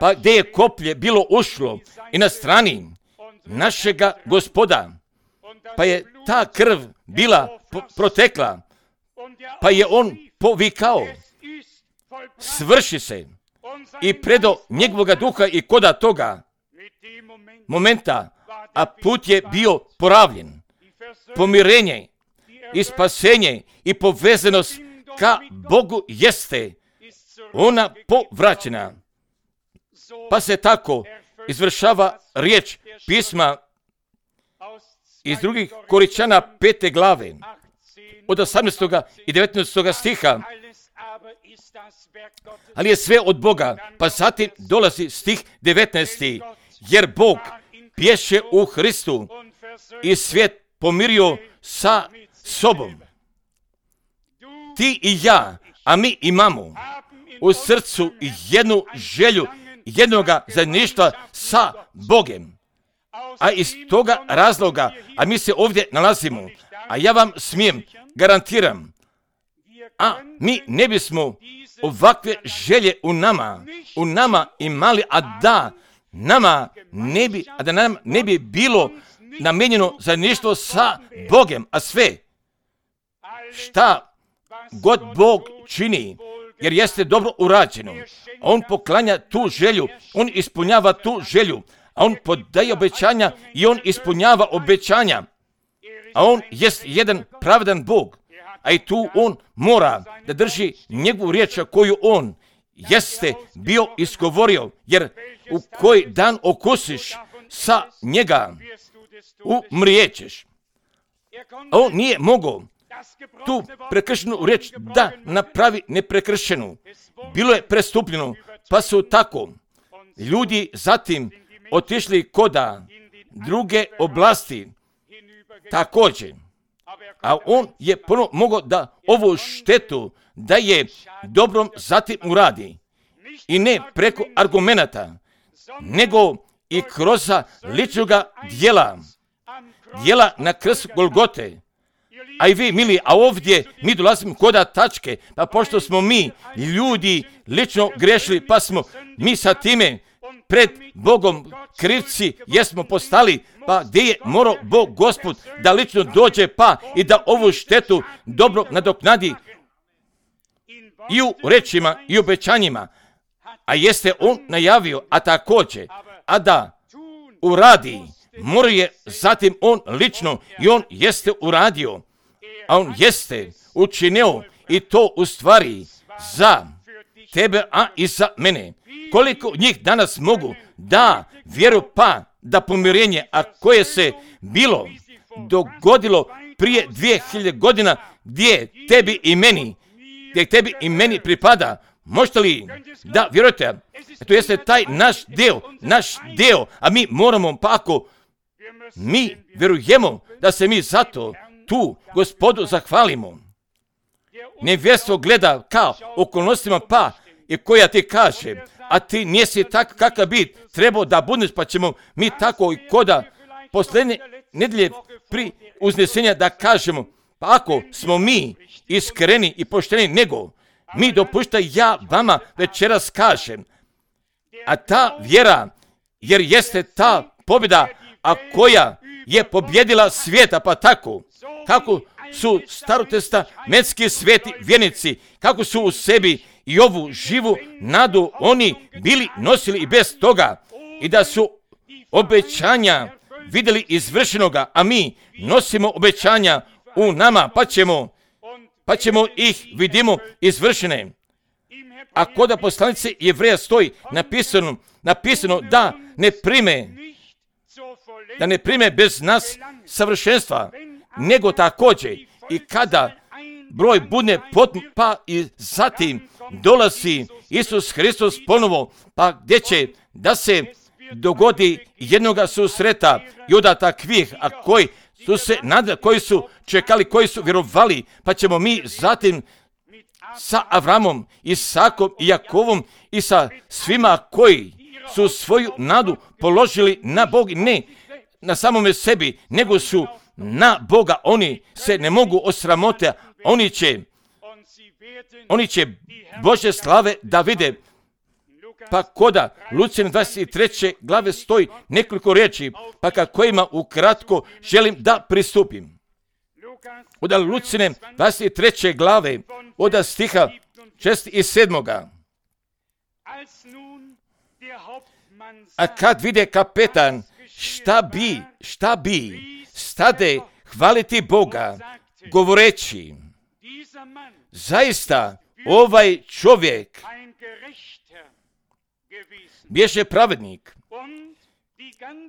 pa gdje je koplje bilo ušlo i na strani našega Gospoda, pa je ta krv bila protekla, pa je on povikao, svrši se, i predo njegovoga duha i koda toga momenta, a put je bio poravljen. Pomirenje i spasenje i povezanost ka Bogu jeste ona povraćena. Pa se tako izvršava riječ pisma iz drugih Koričana pete glave od osamnaestog i devetnaestog stiha. Ali je sve od Boga, pa zatim dolazi stih devetnaesti. Jer Bog pješe u Hristu i svijet pomirio sa sobom. Ti i ja, a mi imamo u srcu jednu želju, jednoga zajedništva sa Bogem. A iz toga razloga, a mi se ovdje nalazimo, a ja vam smijem, garantiram, a mi ne bismo ovakve želje u nama, u nama imali, a da nama ne bi, a da nam ne bi bilo namijenjeno zajedništvo sa Bogem, a sve šta god Bog čini, jer jeste dobro urađeno, on poklanja tu želju, on ispunjava tu želju, a on podaje obećanja i on ispunjava obećanja, a on jest jedan pravedan Bog, a i tu on mora da drži njegovu riječ koju on jeste bio izgovorio, jer u koji dan okusiš sa njega, umrijećeš. A on nije mogao tu prekršenu riječ da napravi neprekršenu. Bilo je prestupljeno, pa su tako ljudi zatim otišli koda druge oblasti također. A on je ponovno mogao da ovu štetu da je dobrom zatim uradi. I ne preko argumenata, nego i kroz ličnoga dijela, dijela na krstu Golgote. A i vi, mili, a ovdje mi dolazimo koda tačke, pa pošto smo mi ljudi lično grešili, pa smo mi sa time pred Bogom krivci jesmo postali, pa gdje je morao Bog Gospod da lično dođe pa i da ovu štetu dobro nadoknadi i u rečima i obećanjima, a jeste on najavio, a također, a da uradi, mora je zatim on lično i on jeste uradio, a on jeste učinio i to u stvari za tebe, a i za mene. Koliko njih danas mogu da vjeru pa da pomirenje, a koje se bilo dogodilo prije dvije hiljade godina, gdje tebi i meni, gdje tebi i meni pripada, možete li da vjerujete? To jeste taj naš deo, naš deo, a mi moramo, pa ako mi vjerujemo da se mi zato tu Gospodu zahvalimo. Nevjestvo gleda kao okolnostima pa i koja ti kaže, a ti nisi tak kakav bi trebao da budeš, pa ćemo mi tako i koda posljednje nedjelje pri uznesenja da kažemo, pa ako smo mi iskreni i pošteni, nego mi dopušta ja vama večeras kažem, a ta vjera, jer jeste ta pobjeda, a koja je pobjedila svijeta, pa tako, kako su starotestamentski sveti vjernici, kako su u sebi i ovu živu nadu oni bili nosili i bez toga, i da su obećanja vidjeli izvršenoga, a mi nosimo obećanja u nama, pa ćemo, pa ćemo ih vidimo izvršene. A kod poslanice Jevreja stoji napisano, napisano da ne prime, da ne prime bez nas savršenstva, nego također i kada broj bude potpun, pa i zatim dolazi Isus Hristos ponovo, pa gdje će da se dogodi jednoga susreta i od takvih, a koji su se nadali, koji su čekali, koji su vjerovali, pa ćemo mi zatim sa Avramom, Isakom i Jakovom i sa svima koji su svoju nadu položili na Bog, ne na samome sebi, nego su na Boga. Oni se ne mogu osramotiti, oni će, oni će Božje slave da vide. Pa koda Lucijane dvadeset treće glave stoji nekoliko riječi, pa ka kojima ukratko želim da pristupim. Od Lucijane dvadeset treće glave, od stiha šest i sedmoga. A kad vide kapetan šta bi, šta bi, stade hvaliti Boga, govoreći, zaista ovaj čovjek bješe pravednik,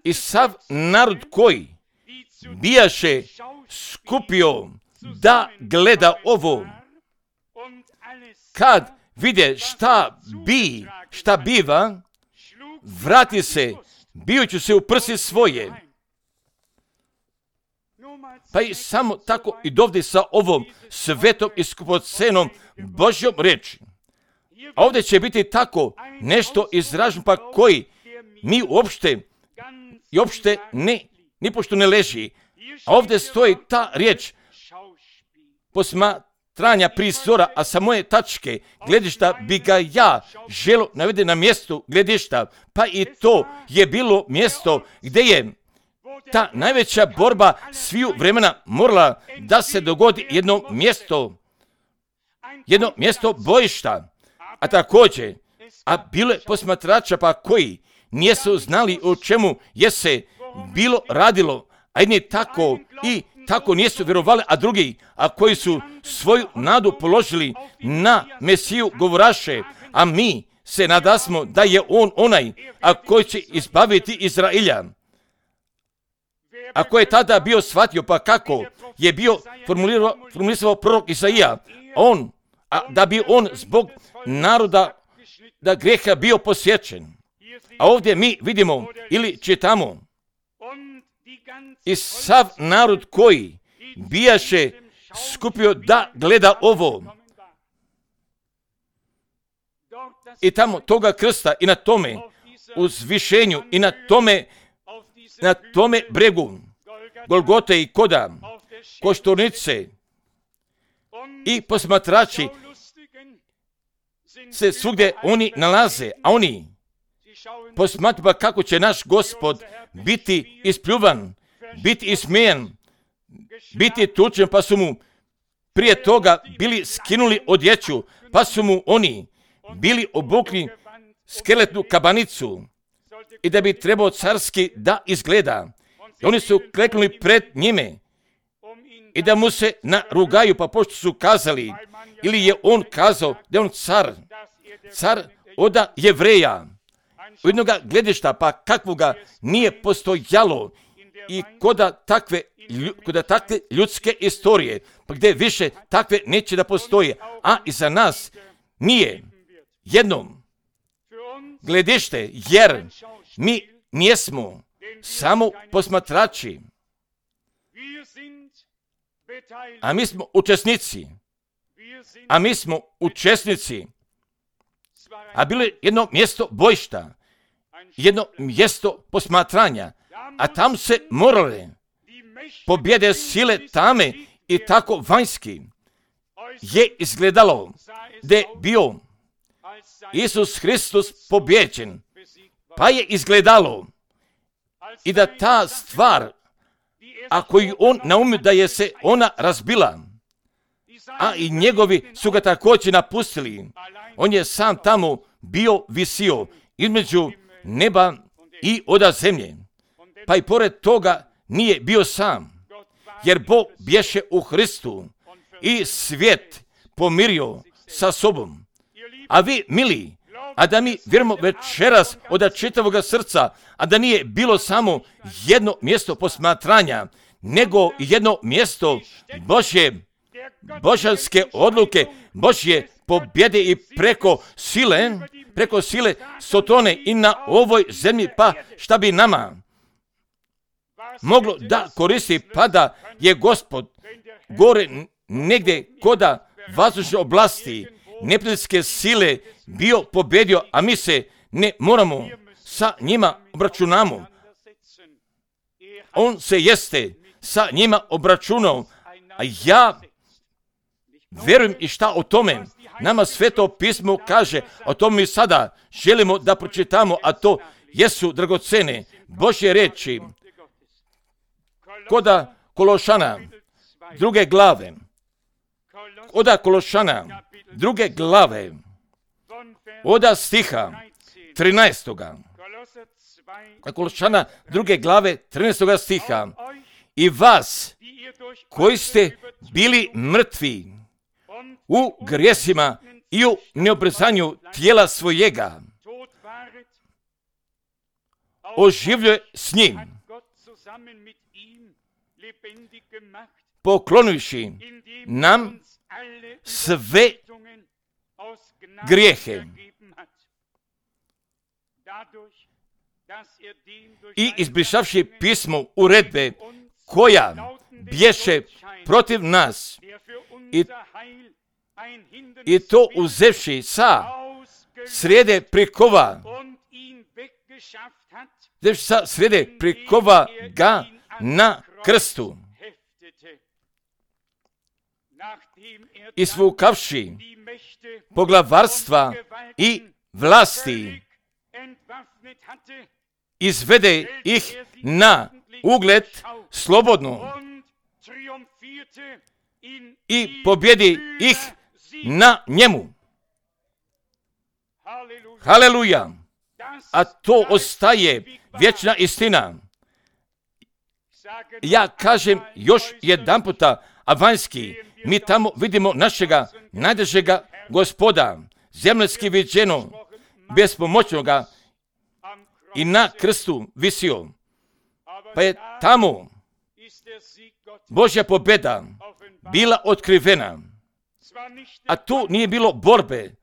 i sav narod koji bijaše skupio da gleda ovo, kad vide šta bi, šta biva, vrati se, bijući se u prsi svoje. Pa i samo tako i dovde sa ovom svetom i skupocenom Božjom reči. A ovdje će biti tako nešto izraženo, pa koji mi uopšte i uopšte ne, nipošto ne leži. A ovdje stoji ta riječ posmatranja prizora, a sa moje tačke gledišta bi ga ja želo navede na mjestu gledišta, pa i to je bilo mjesto gdje je ta najveća borba sviju vremena morala da se dogodi jedno mjesto, jedno mjesto bojišta. A također, a bilo je posmatrača pa koji nisu znali o čemu je se bilo radilo, a jedni tako i tako nisu vjerovali, a drugi, a koji su svoju nadu položili na Mesiju govoraše, a mi se nadasmo da je on onaj, a koji će izbaviti Izraelja. A ko je tada bio shvatio, pa kako je bio formulirao, formulisao prorok Isaija, on, a da bi on zbog naroda da greha bio posjećen. A ovdje mi vidimo ili čitamo, i sav narod koji bijaše skupio da gleda ovo. I tamo toga krsta i na tome uzvišenju i na tome, na tome bregu Golgote i koda košturnice i posmatrači se svugdje oni nalaze, a oni posmatraju kako će naš Gospod biti ispljuvan, biti ismijen, biti tučen, pa su mu prije toga bili skinuli odjeću, pa su mu oni bili obukli skeletnu kabanicu i da bi trebao carski da izgleda. I oni su kleknuli pred njime i da mu se narugaju, pa pošto su kazali, ili je on kazao da je on car, car od Jevreja, u jednoga gledišta, pa kakvoga nije postojalo i koda takve, koda takve ljudske istorije, pa gdje više takve neće da postoje, a i za nas nije jednom gledište, jer mi nijesmo samo posmatrači, a mi smo učesnici, a mi smo učesnici, a bilo je jedno mjesto bojišta, jedno mjesto posmatranja, a tam se morale pobjede sile tame i tako vanjski je izgledalo da je bio Isus Hristos pobjeđen, pa je izgledalo i da ta stvar, ako je on naumio da je se ona razbila, a i njegovi su ga također napustili, on je sam tamo bio visio između neba i oda zemlje, pa i pored toga nije bio sam, jer Bog bješe u Hristu i svijet pomirio sa sobom. A vi, mili, a da mi vjerujemo večeras od čitavoga srca, a da nije bilo samo jedno mjesto posmatranja, nego jedno mjesto Božje, božanske odluke, Božje pobjede i preko sile, preko sile Sotone i na ovoj zemlji, pa šta bi nama moglo da koristi, pa da je Gospod gore negdje koda vazdušne oblasti, neprijateljske sile bio pobedio, a mi se ne moramo sa njima obračunamo. On se jeste sa njima obračunao, a ja verujem i šta o tome. Nama Sveto pismo kaže, o tome mi sada želimo da pročitamo, a to jesu dragocene Božje reči. Koda Kološana, druge glave. Koda Kološana, druge glave. Oda stiha trinaestoga. Kološana, druge glave, trinaestoga stiha. I vas, koji ste bili mrtvi u grijesima i u neobrezanju tijela svojega, oživljuje s njim, poklonivši nam sve grijehe i izbrišavši pismo uredbe koja bješe protiv nas i, i to uzevši sa srede prikova, sa srede prikova ga na krstu, isvukavši poglavarstva i vlasti, izvede ih na ugled slobodno i pobjedi ih na njemu. Haleluja! A to ostaje vječna istina. Ja kažem još jedan puta, a vanjski, mi tamo vidimo našega najdražega Gospoda, zemljski viđeno, bespomoćnoga, i na krstu visio. Pa je tamo Božja pobjeda bila otkrivena. A tu nije bilo borbe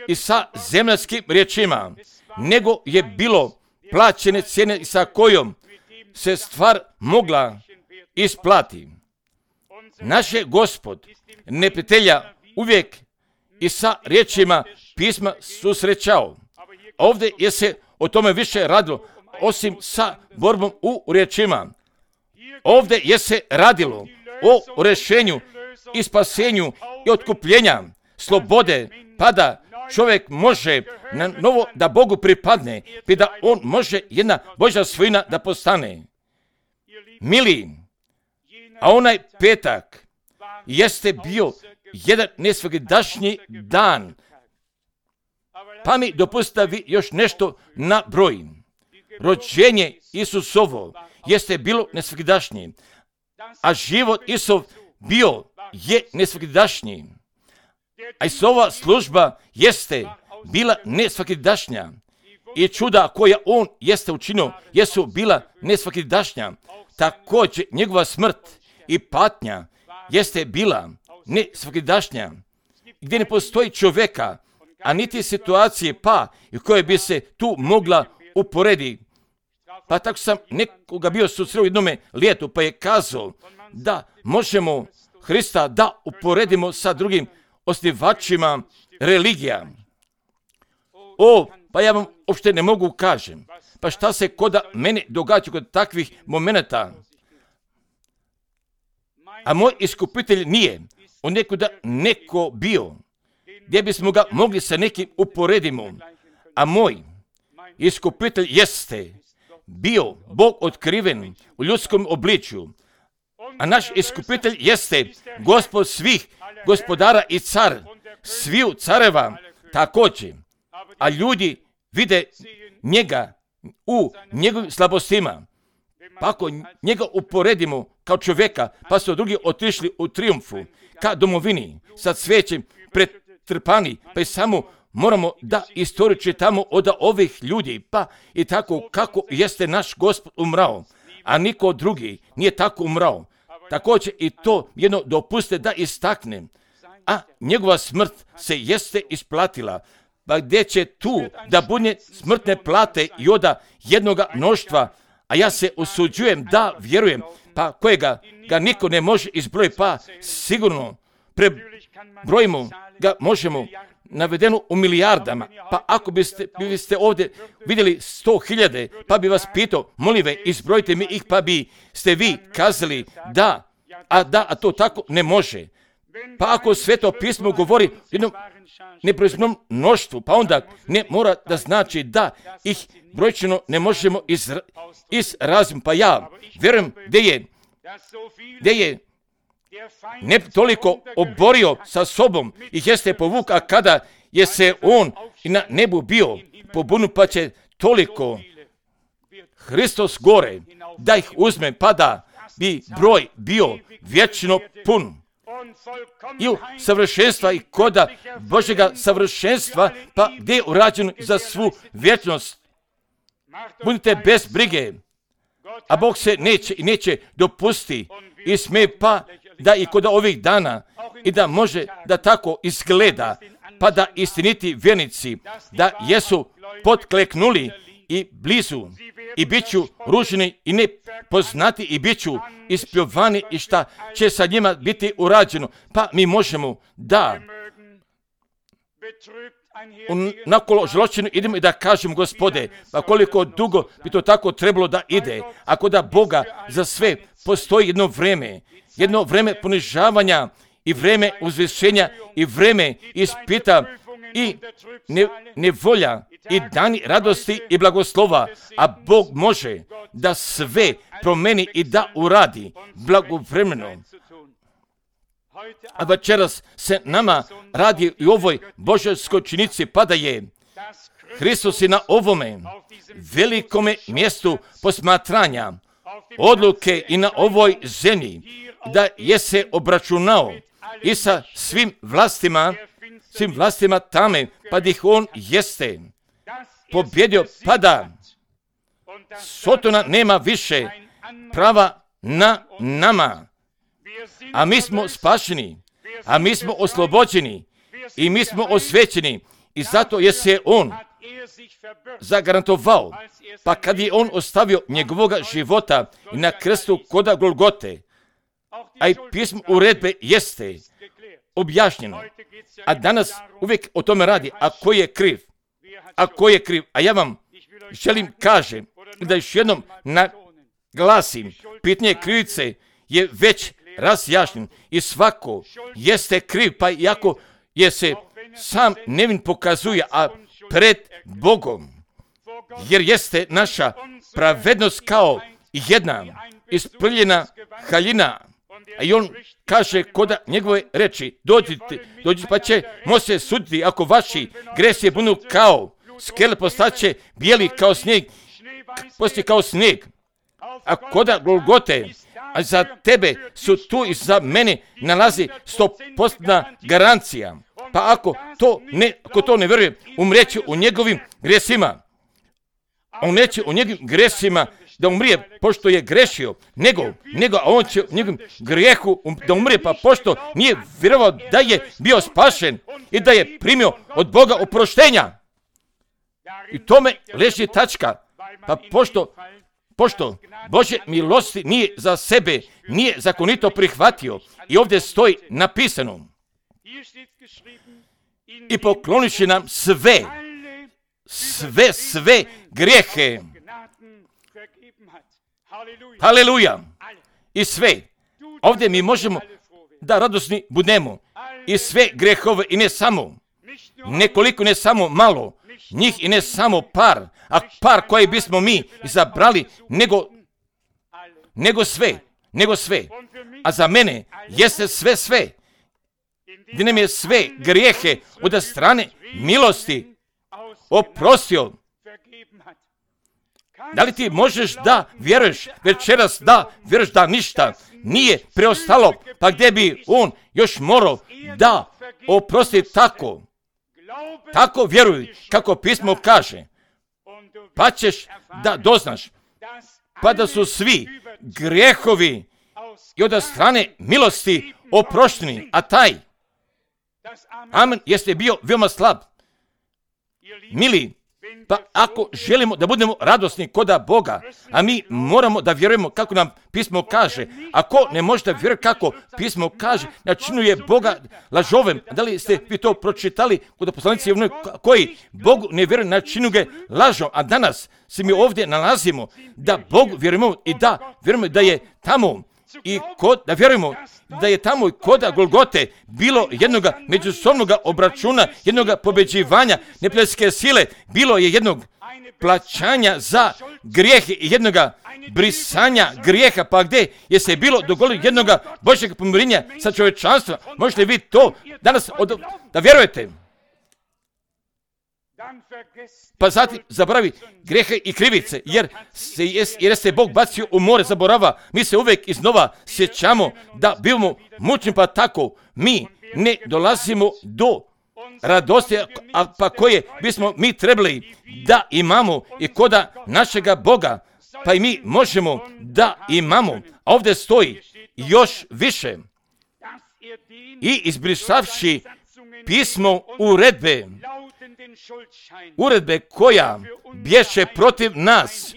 i sa zemljanskim riječima, nego je bilo plaćene cijene sa kojom se stvar mogla isplati. Naš je Gospod neprijatelja uvijek i sa riječima pisma susrećao. Ovdje je se o tome više radilo, osim sa borbom u riječima. Ovdje je se radilo o rješenju i spasenju i otkupljenja, slobode, pa da čovjek može na novo da Bogu pripadne, pa da on može jedna Božja svojina da postane. Mili, a onaj petak jeste bio jedan nesvagdašnji dan. Pa mi dopustite vi još nešto na broj. Rođenje Isusovo jeste bilo nesvagdašnji, a život Isov bio je nesvagdašnji. A Isova služba jeste bila nesvagdašnja i čuda koja on jeste učinio jesu bila nesvagdašnja. Također njegova smrt i patnja jeste bila nesvagdašnja, gdje ne postoji čovjeka, a niti situacije pa i koje bi se tu mogla uporediti. Pa tako sam nekoga bio susreo u jednome lijetu, pa je kazao da možemo Hrista da uporedimo sa drugim osnivačima religija. O, pa ja vam uopšte ne mogu kažem. Pa šta se koda mene događa kod takvih momenata? A moj iskupitelj nije on nekuda neko bio, gdje bismo ga mogli sa nekim uporedimo. A moj iskupitelj jeste bio Bog otkriven u ljudskom obličju. A naš iskupitelj jeste Gospod svih gospodara i car, sviju careva također. A ljudi vide njega u njegovim slabostima. Pa ako njega uporedimo kao čovjeka, pa su drugi otišli u triumfu ka domovini sa cvijećem pretrpani, pa i samo moramo da istoriju čitamo od ovih ljudi, pa i tako kako jeste naš Gospod umrao, a niko drugi nije tako umrao. Također i to jedno dopuste da istaknem, a njegova smrt se jeste isplatila. Pa gdje će tu da bude smrtne plate i oda jednoga mnoštva, a ja se usuđujem da vjerujem, pa kojega ga niko ne može izbrojiti, pa sigurno pre brojimo ga, možemo navedeno u milijardama. Pa ako biste, biste ovdje vidjeli sto hiljade, pa bi vas pitao, molim ve, izbrojite mi ih, pa bi ste vi kazali da, a da, a to tako ne može. Pa ako Sveto pismo govori jednom nebrojnom mnoštvu, pa onda ne mora da znači da ih brojčano ne možemo izra, izraziti. Pa ja vjerujem da je, da je ne toliko oborio sa sobom i jeste povuk, a kada je se on i na nebu bio pobunu, pa će toliko Hristos gore da ih uzme, pa da bi broj bio vječno pun. I u savršenstva i koda Božjega savršenstva, pa gdje je urađeno za svu vječnost. Budite bez brige, a Bog se neće i neće dopusti i smije pa da i kod ovih dana i da može da tako izgleda, pa da istiniti vjernici, da jesu potkleknuli i blizu i bit ću ruženi i nepoznati i bit ću ispljuvani i šta će sa njima biti urađeno. Pa mi možemo da nakolo zločinu idemo i da kažemo, Gospode, pa koliko dugo bi to tako trebalo da ide, ako da Boga za sve postoji jedno vreme, jedno vreme ponižavanja i vreme uzvišenja i vreme ispita i ne, nevolja i dani radosti i blagoslova, a Bog može da sve promeni i da uradi blagovremeno. A večeras se nama radi i ovoj božanskoj činici, pa da je Hristos i na ovome velikome mjestu posmatranja odluke i na ovoj zemlji, da je se obračunao i sa svim vlastima, svim vlastima tame, pa da ih on jeste pobjedio, pa da Sotona nema više prava na nama, a mi smo spašeni, a mi smo oslobođeni i mi smo osvećeni i zato je se on zagarantovao, pa kad je on ostavio njegovoga života i na krstu koda Golgote, a i pismo uredbe jeste objašnjeno, a danas uvijek o tome radi, a ko je kriv, a ko je kriv, a ja vam želim kažem da još jednom naglasim, pitanje krivice je već razjašnjen i svako jeste kriv, pa iako je se sam nevin pokazuje, a pred Bogom, jer jeste naša pravednost kao jedna isprljena haljina, a i on kaže koda njegove reči, dođite, dođite pa će mo se suditi, ako vaši gresi budu kao skele, postaće bijeli kao snijeg, postoji kao snijeg, a koda Golgote, a za tebe su tu i za mene nalazi stopostna garancija. Pa ako to ne, ako to ne vjeruje, umreće u njegovim gresima. On neće u njegovim gresima da umrije pošto je grešio, nego, nego a on će u njegovim grijehu da umrije, pa pošto nije vjerovao da je bio spašen i da je primio od Boga oproštenja. I tome leži tačka. Pa pošto Pošto Božje milosti nije za sebe, nije zakonito prihvatio. I ovdje stoji napisano. I pokloniše nam sve, sve, sve grijehe. Haleluja. I sve. Ovdje mi možemo da radosni budemo. I sve grehove i ne samo, nekoliko, ne samo malo, njih i ne samo par, a par koji bismo mi izabrali, nego, nego sve, nego sve. A za mene jeste sve sve, gdje nam je sve grijehe od strane milosti oprostio. Da li ti možeš da vjeruješ večeras, da vjeruješ da ništa nije preostalo, pa gdje bi on još morao da oprosti tako? Tako vjeruj kako pismo kaže, pa ćeš da doznaš, pa da su svi grijehovi i od strane milosti oprošteni, a taj amen jeste bio veoma slab. Mili, Pa ako želimo da budemo radosni koda Boga, a mi moramo da vjerujemo kako nam pismo kaže, ako ne možete vjerovati kako pismo kaže, načinuje Boga lažovem. Da li ste vi to pročitali kod poslanici koji Bogu ne vjeruju, načinu ga lažom, a danas se mi ovdje nalazimo da Bogu vjerujemo i da vjerujemo da je tamo i kod, da vjerujemo da je tamo i kod Golgote bilo jednog međusobnog obračuna, jednog pobeđivanja neprijateljske sile, bilo je jednog plaćanja za grijehe i jednog brisanja grijeha, pa gdje je se bilo dogodilo jednog Božjeg pomirenja sa čovječanstvom. Možete vi to danas od, da vjerujete? Pa zatim zaboravi grijehe i krivice, jer se, jer se Bog bacio u more zaborava. Mi se uvijek iznova sjećamo da bivamo mučni, pa tako mi ne dolazimo do radosti, a pa koje bismo mi trebali da imamo i koda našega Boga, pa i mi možemo da imamo. A ovdje stoji još više. I izbrisavši pismo uredbe, uredbe koja bješe protiv nas,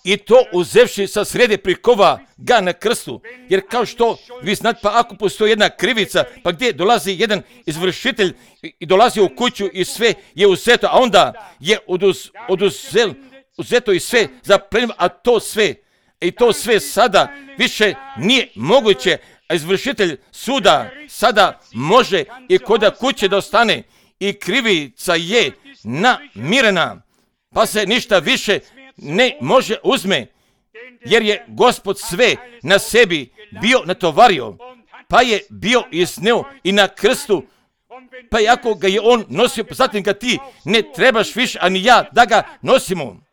i to uzevši sa srede prikova ga na krstu. Jer kao što vi znate, pa ako postoji jedna krivica, pa gdje dolazi jedan izvršitelj i dolazi u kuću i sve je uzeto, a onda je oduz, oduzel, uzeto i sve zaplenjeno, a to sve, i to sve sada više nije moguće, a izvršitelj suda sada može i koda kuće da ostane i krivica je namirena, pa se ništa više ne može uzme, jer je Gospod sve na sebi bio natovario, pa je bio izneo i na krstu, pa i ako ga je on nosio, pa zatim ga ti ne trebaš više, ani ja, da ga nosimo.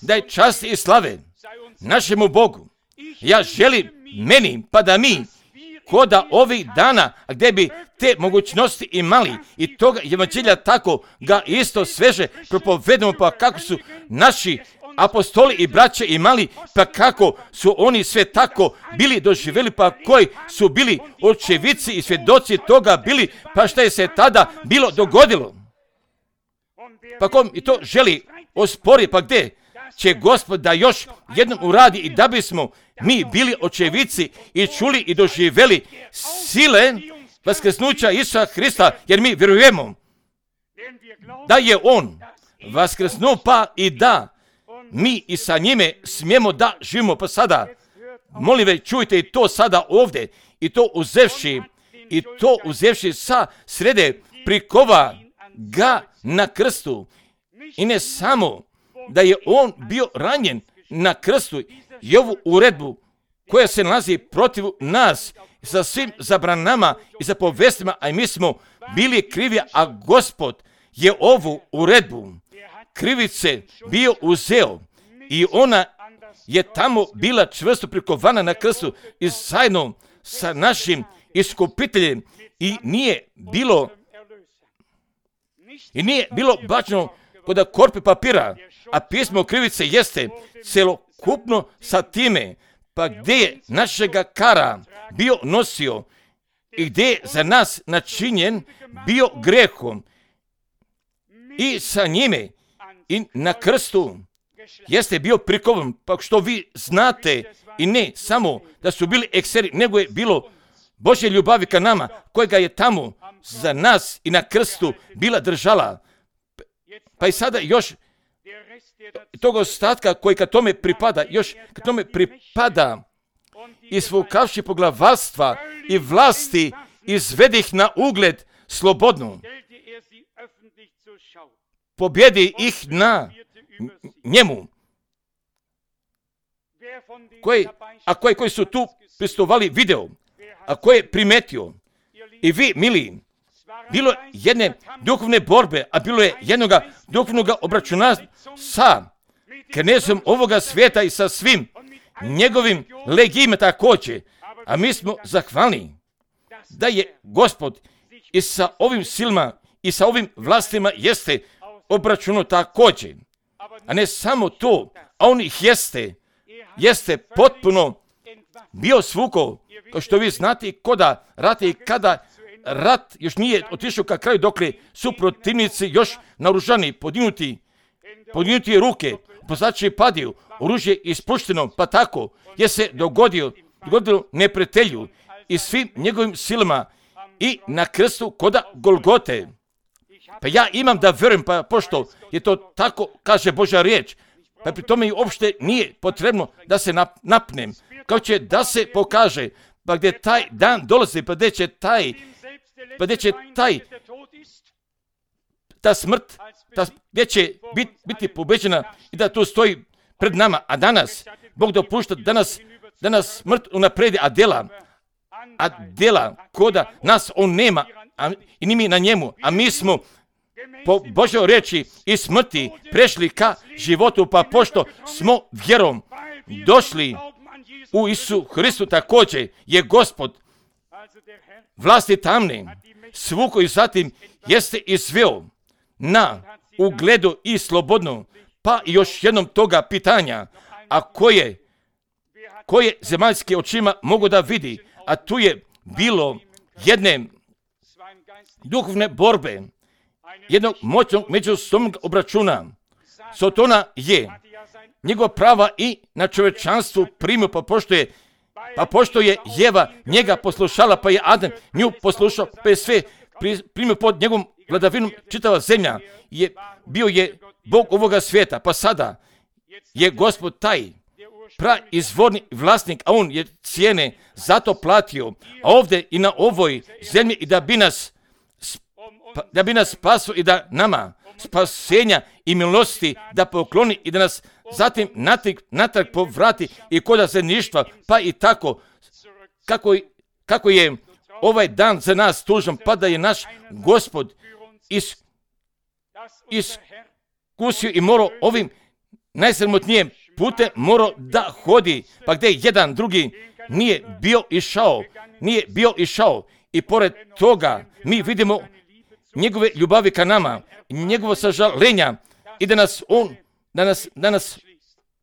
Daj čast i slave našemu Bogu. Ja želim meni, pa da mi koda ovih dana, gdje bi te mogućnosti imali i toga evanđelja tako ga isto sveže propovedamo, pa kako su naši apostoli i braće imali, pa kako su oni sve tako bili doživjeli, pa koji su bili očevici i svjedoci toga bili, pa šta je se tada bilo dogodilo. Pa kom i to želi ospori, pa gdje će Gospod da još jednom uradi i da bismo mi bili očevici i čuli i doživjeli sile vaskrsnuća Isusa Hrista, jer mi vjerujemo da je On vaskrsnuo, pa i da mi i sa njime smijemo da živimo. Pa sada, molim ve, čujte i to sada ovdje, i to uzevši, i to uzevši sa srede prikova ga na krstu. I ne samo da je on bio ranjen na krstu i ovu uredbu koja se nalazi protiv nas sa svim zabranama i zapovestima, a mi smo bili krivi, a Gospod je ovu uredbu krivice bio uzeo i ona je tamo bila čvrsto prikovana na krstu i zajedno sa našim iskupiteljem i nije bilo i nije bilo bačeno kod korpe papira, a pismo krivice jeste celokupno sa time, pa gdje je našega kara bio nosio i gdje je za nas načinjen bio grehom i sa njime i na krstu jeste bio prikovan, pa što vi znate, i ne samo da su bili ekseri, nego je bilo Božje ljubavi ka nama, kojega je tamo za nas i na krstu bila držala. Pa i sada još tog ostatka koji ka tome pripada, još ka tome pripada, isvukavši poglavarstva i vlasti, izvedi ih na ugled slobodnu. Pobjedi ih na njemu. Koji, a koji, koji su tu pristovali video, a koji je primetio, i vi, mili, bilo jedne duhovne borbe, a bilo je jednoga duhovnog obračuna sa knezom ovoga svijeta i sa svim njegovim legijima također. A mi smo zahvalni da je Gospod i sa ovim silama i sa ovim vlastima jeste obračunao također. A ne samo to, a on ih jeste, jeste potpuno bio svukao, kao što vi znate, koda rate i kada rat još nije otišao ka kraju, dokle su protivnici još naoružani, podignuti, podignuti ruke, poslači padiju, oružje ispušteno, pa tako je se dogodio, dogodilo neprijatelju i svim njegovim silama i na krstu koda Golgote. Pa ja imam da vjerujem, pa pošto je to tako, kaže Božja riječ, pa pri tome i uopšte nije potrebno da se napnem, kao će da se pokaže, pa gdje taj dan dolazi, pa gdje će taj, pa gdje će taj, ta smrt, ta, gdje će bit, biti pobeđena i da tu stoji pred nama, a danas, Bog dopušta, danas, danas smrt unapredi, a dela, a dela koda nas on nema, a, i ni mi na njemu, a mi smo po Božoj riječi i smrti prešli ka životu, pa pošto smo vjerom došli u Isu Hristu, također je Gospod vlasti tamne svuko i zatim jeste izveo na ugledu i slobodno, pa još jednom toga pitanja, a koje, koje zemaljske očima mogu da vidi, a tu je bilo jedne duhovne borbe, jednog moćnog međusobnog obračuna. Sotona je njegova prava i na čovječanstvu primio, pa pošto je, pa pošto je Jeva njega poslušala, pa je Adam nju poslušao, pa je sve primio pod njegovom vladavinom, čitava zemlja je, bio je Bog ovoga svijeta, pa sada je Gospod taj praizvorni vlasnik, a on je cijene zato platio, a ovdje i na ovoj zemlji i da bi nas da bi nas spasio i da nama spasenja i milosti da pokloni i da nas zatim natrag, natrag povrati i koda zemljištva, pa i tako kako, kako je ovaj dan za nas tužan, pa da je naš Gospod is, iskusio i morao ovim najsramotnijim putem morao da hodi, pa gdje jedan drugi nije bio išao, nije bio išao i pored toga mi vidimo njegove ljubavi ka nama, njegovo sažalenja i da nas on, da nas, da nas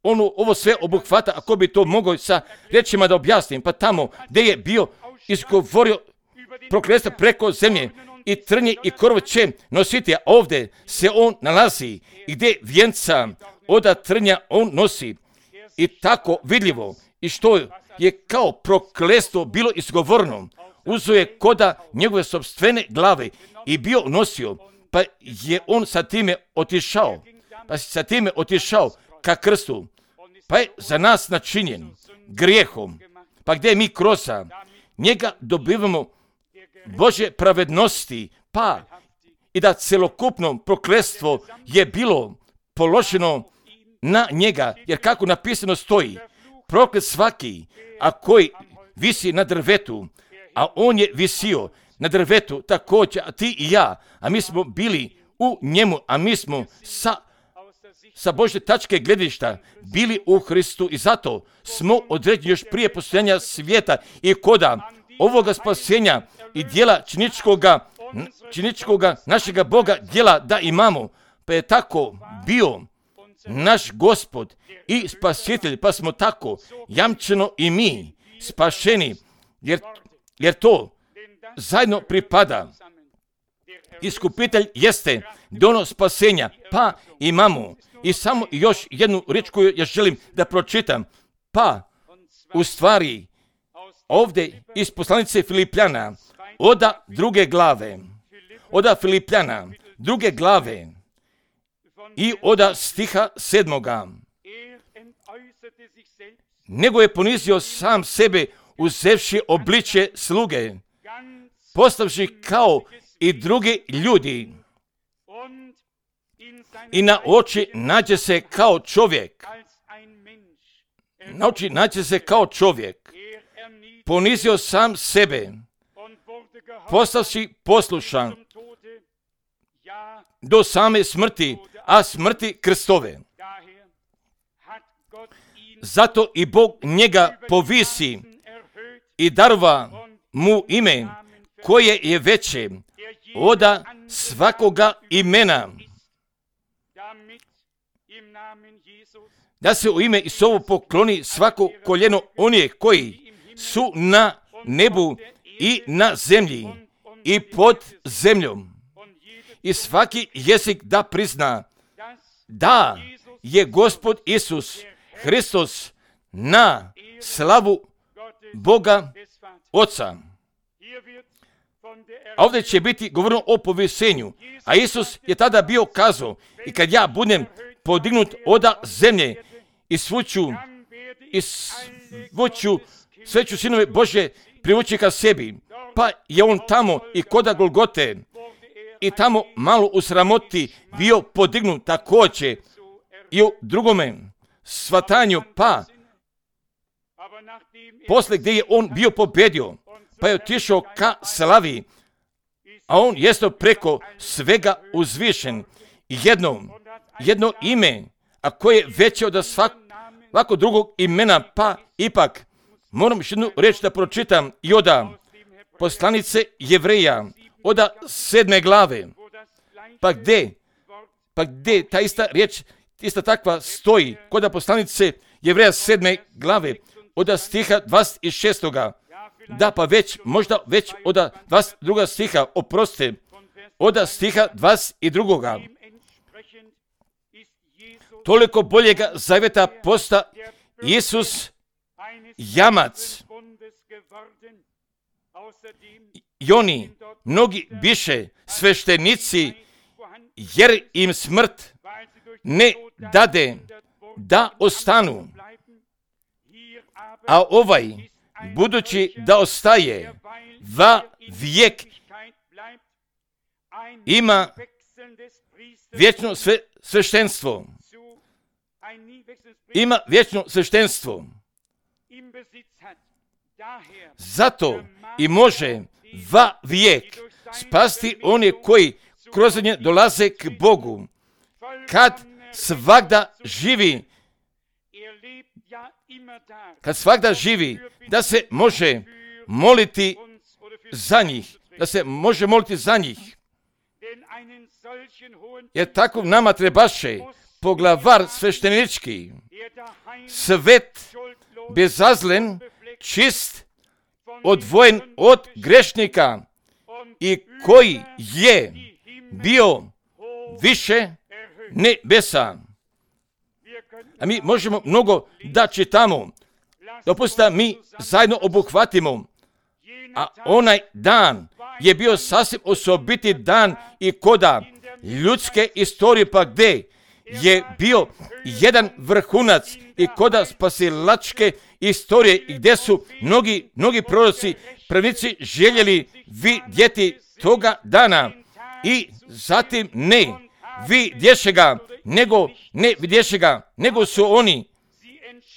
on ovo sve obuhvata, ako bi to mogao sa riječima da objasnim, pa tamo gdje je bio izgovorio prokletstvo preko zemlje i trnje i korov će nositi, a ovdje se on nalazi i gdje vjenca oda trnja on nosi i tako vidljivo i što je kao prokletstvo bilo izgovoreno, uzeo je koda njegove sopstvene glave i bio nosio, pa je on sa time otišao, pa sa time otišao ka krstu, pa je za nas načinjen grijehom, pa gdje mi kroz njega dobivamo Božje pravednosti, pa i da celokupno prokletstvo je bilo položeno na njega, jer kako napisano stoji, proklet svaki, a koji visi na drvetu, a on je visio na drvetu također, a ti i ja, a mi smo bili u njemu, a mi smo sa, sa Božje tačke gledišta bili u Hristu i zato smo određeni još prije postojanja svijeta i koda ovoga spasenja i dijela činičkoga, činičkoga našega Boga dijela da imamo, pa je tako bio naš Gospod i spasitelj, pa smo tako jamčeno i mi spašeni, jer, jer to zajedno pripada. Iskupitelj jeste dono spasenja, pa imamo i samo još jednu riječ koju ja želim da pročitam, pa u stvari ovdje iz poslanice Filipljana, oda druge glave, oda Filipljana, druge glave i oda stiha sedmoga. Nego je ponizio sam sebe uzevši obličje sluge, postavši kao i drugi ljudi i na oči nađe se kao čovjek. Na oči nađe se kao čovjek. Ponizio sam sebe, postavši poslušan do same smrti, a smrti krstove. Zato i Bog njega povisi i darova mu ime koje je veće oda svakoga imena, da se u ime Isusovo pokloni svako koljeno onih koji su na nebu i na zemlji i pod zemljom. I svaki jezik da prizna da je Gospod Isus Hristos na slavu Boga Oca. A ovdje će biti govoreno o povisenju. A Isus je tada bio kazao, i kad ja budem podignut oda zemlje i svuću i svuću sve ću sinove Bože privući ka sebi. Pa je on tamo i koda Golgote i tamo malo u sramoti bio podignut također i u drugome svatanju, pa posle gdje je on bio pobedio, pa je otišao ka slavi, a on jeste preko svega uzvišen. Jedno, jedno ime, a koje je veće od svakog drugog imena, pa ipak moram još jednu reč da pročitam i oda poslanice Jevreja, oda sedme glave, pa gdje, pa gdje ta ista riječ, ista takva stoji, koda poslanice Jevreja sedme glave, oda stiha dvadeset šestoga. Da, pa već, možda već oda dvadeset drugoga stiha, oprostite, oda stiha dvadeset drugoga. Toliko boljega zavjeta posta Isus jamac. I oni, mnogi biše sveštenici, jer im smrt ne dade da ostanu. A ovaj, budući da ostaje va vijek, ima vječno sve, sveštenstvo. Ima vječno sveštenstvo. Zato i može va vijek spasti one koji kroz nje dolaze k Bogu. Kad svagda živi, kad svagda živi, da se može moliti za njih, da se može moliti za njih. Jer tako nama trebaše poglavar sveštenički, svet, bezazlen, čist, odvojen od grešnika i koji je bio više nebesa. A mi možemo mnogo da čitamo. Dopustite mi zajedno obuhvatimo. A onaj dan je bio sasvim osobiti dan i koda ljudske istorije, pa gdje je bio jedan vrhunac i koda spasilačke istorije i gdje su mnogi, mnogi proroci, pravnici željeli vidjeti toga dana i zatim ne vidješe ga, nego ne vidješe ga, nego su oni,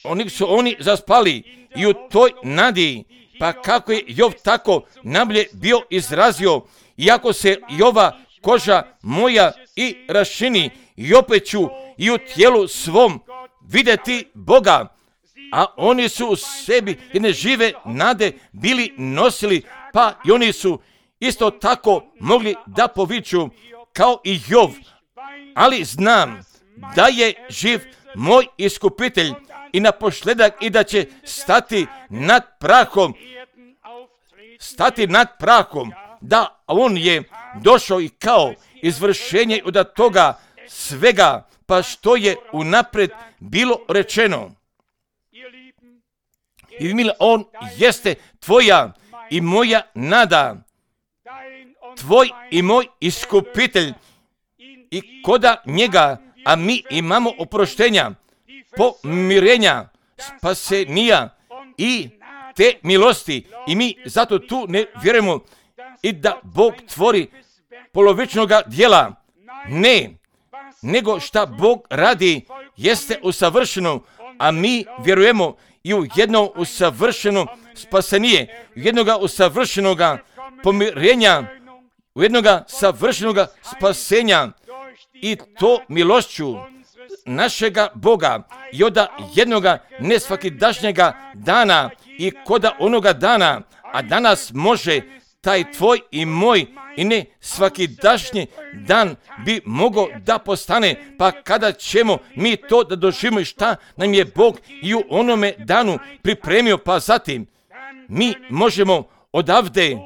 oni su oni zaspali i u toj nadi, pa kako je Jov tako najbolje bio izrazio, iako se Jova koža moja i rašini, i opet ću i u tijelu svom vidjeti Boga, a oni su u sebi jedne žive nade bili nosili, pa i oni su isto tako mogli da poviču kao i Jov, ali znam da je živ moj iskupitelj i naposljedak i da će stati nad prahom, stati nad prahom, da on je došao i kao izvršenje od toga svega, pa što je unaprijed bilo rečeno. I mila, on jeste tvoja i moja nada, tvoj i moj iskupitelj, i koda njega, a mi imamo oproštenja, pomirenja, spasenija i te milosti, i mi zato tu ne vjerujemo i da Bog tvori polovičnoga dijela. Ne, nego šta Bog radi jeste usavršeno, a mi vjerujemo i u jedno usavršeno spasenije, u jednoga usavršenoga pomirenja, u jednoga savršenoga spasenja, i to milošću našega Boga i od jednoga nesvakidašnjega dana i koda onoga dana, a danas može taj tvoj i moj i ne svakidašnji dan bi mogao da postane, pa kada ćemo mi to da doživimo i šta nam je Bog i u onome danu pripremio, pa zatim mi možemo odavde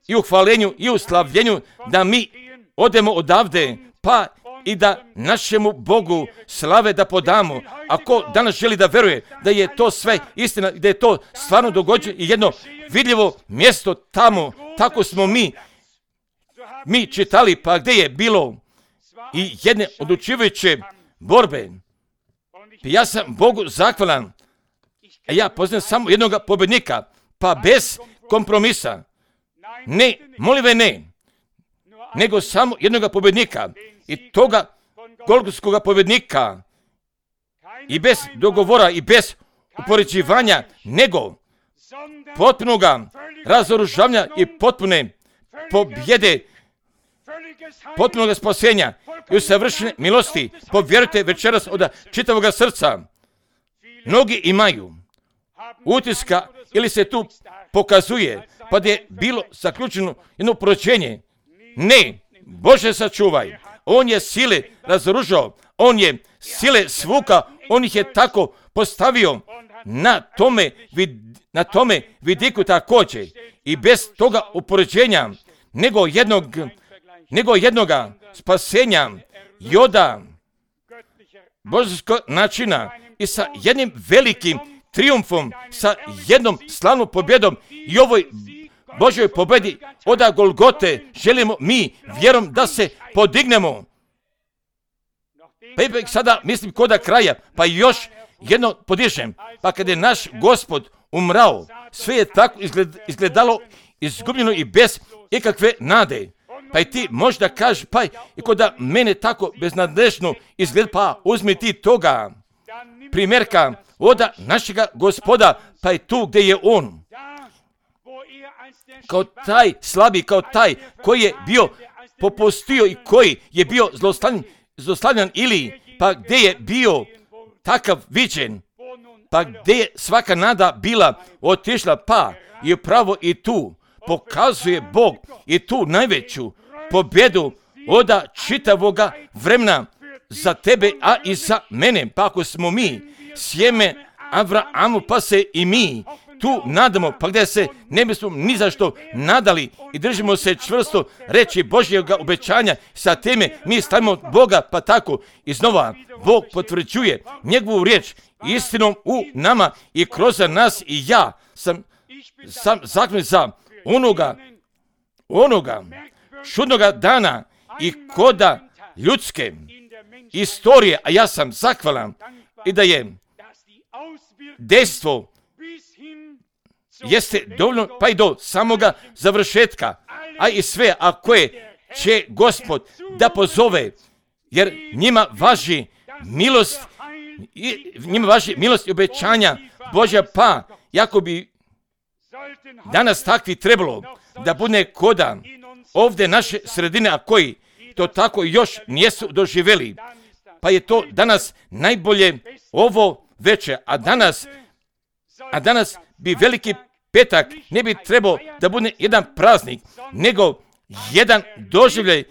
i u hvalenju i u slavljenju, da mi odemo odavde, pa i da našemu Bogu slave da podamo. Ako danas želi da veruje da je to sve istina, da je to stvarno događa i jedno vidljivo mjesto tamo, tako smo mi mi čitali, pa gdje je bilo i jedne odlučujuće borbe. Ja sam Bogu zahvalan, a ja poznam samo jednog pobjednika, pa bez kompromisa. Ne, molive ne, nego samo jednog pobjednika i toga golgotskog pobjednika i bez dogovora i bez upoređivanja, nego potpunoga razoružavanja i potpune pobjede, potpunoga spasenja i usavršene milosti. Povjerujte večeras od čitavoga srca. Mnogi imaju utiska ili se tu pokazuje pa da je bilo zaključeno jedno poročenje. Ne, Bože sačuvaj. On je sile razoružao, on je sile svuka, on ih je tako postavio na tome, vid, na tome vidiku također i bez toga upoređenja nego jednog, nego jednoga spasenja joda božanskog načina i sa jednim velikim triumfom, sa jednom slavnom pobjedom i ovoj Božoj pobjedi od Golgote želimo mi vjerom da se podignemo. Pa ipak sada mislim koda kraja, pa još jedno podižem. Pa kada je naš Gospod umrao, sve je tako izgled, izgledalo izgubljeno i bez ikakve nade. Pa i ti možda kažeš, pa i koda mene tako beznadležno izgleda, pa uzmi ti toga primjerka od našega Gospoda, pa i tu gdje je on. Kao taj slabi, kao taj koji je bio popustio i koji je bio zlostavljan, zlostavljan ili pa gdje je bio takav viđen, pa gdje je svaka nada bila otišla, pa i pravo i tu pokazuje Bog i tu najveću pobjedu od čitavoga vremena za tebe, a i za mene. Pa ako smo mi sjeme Avrahamu, pa se i mi tu nadamo, pa gdje se ne bismo ni zašto nadali i držimo se čvrsto reći Božjeg obećanja, sa teme mi stavimo Boga, pa tako iznova Bog potvrđuje njegovu riječ istinom u nama i kroz nas i ja sam, sam zakljut za onoga, onoga čudnoga dana i koda ljudske istorije, a ja sam zahvalan i da je dejstvo jeste dovoljno pa i do samoga završetka, a i sve a koje će Gospod da pozove, jer njima važi milost i njima važi milost i obećanja Božja, pa jako bi danas takvi trebalo da bude koda ovdje naše sredine, a koji to tako još nijesu doživjeli, pa je to danas najbolje ovo večer, a danas a danas bi veliki petak ne bi trebao da bude jedan praznik, nego jedan doživljaj,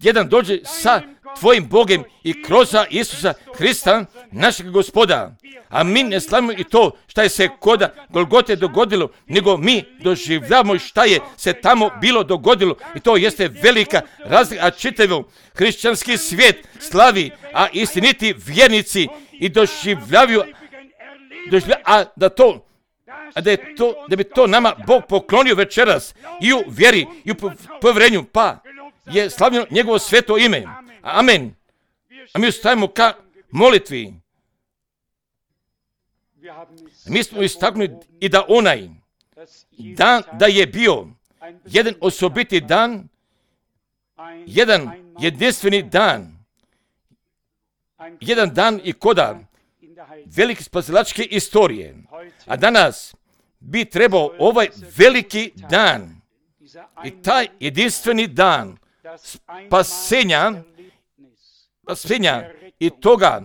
jedan doživljaj sa tvojim Bogom i kroz Isusa Hrista, našeg Gospoda. A mi ne slavimo i to šta je se koda Golgote dogodilo, nego mi doživljavamo šta je se tamo bilo dogodilo i to jeste velika razlika, a čitav hrišćanski svijet slavi, a istiniti vjernici i doživljavaju, doživljavaju a da to a da, je to, da bi to nama Bog poklonio večeras i u vjeri i u povjerenju, pa je slavljeno njegovo sveto ime. Amen. A mi ustajemo ka molitvi. Mi smo istaknuli i da onaj dan da je bio jedan osobiti dan, jedan jedinstveni dan, jedan dan i koda velike spasilačke istorije. A danas bi trebao ovaj veliki dan i taj jedinstveni dan spasenja, spasenja i toga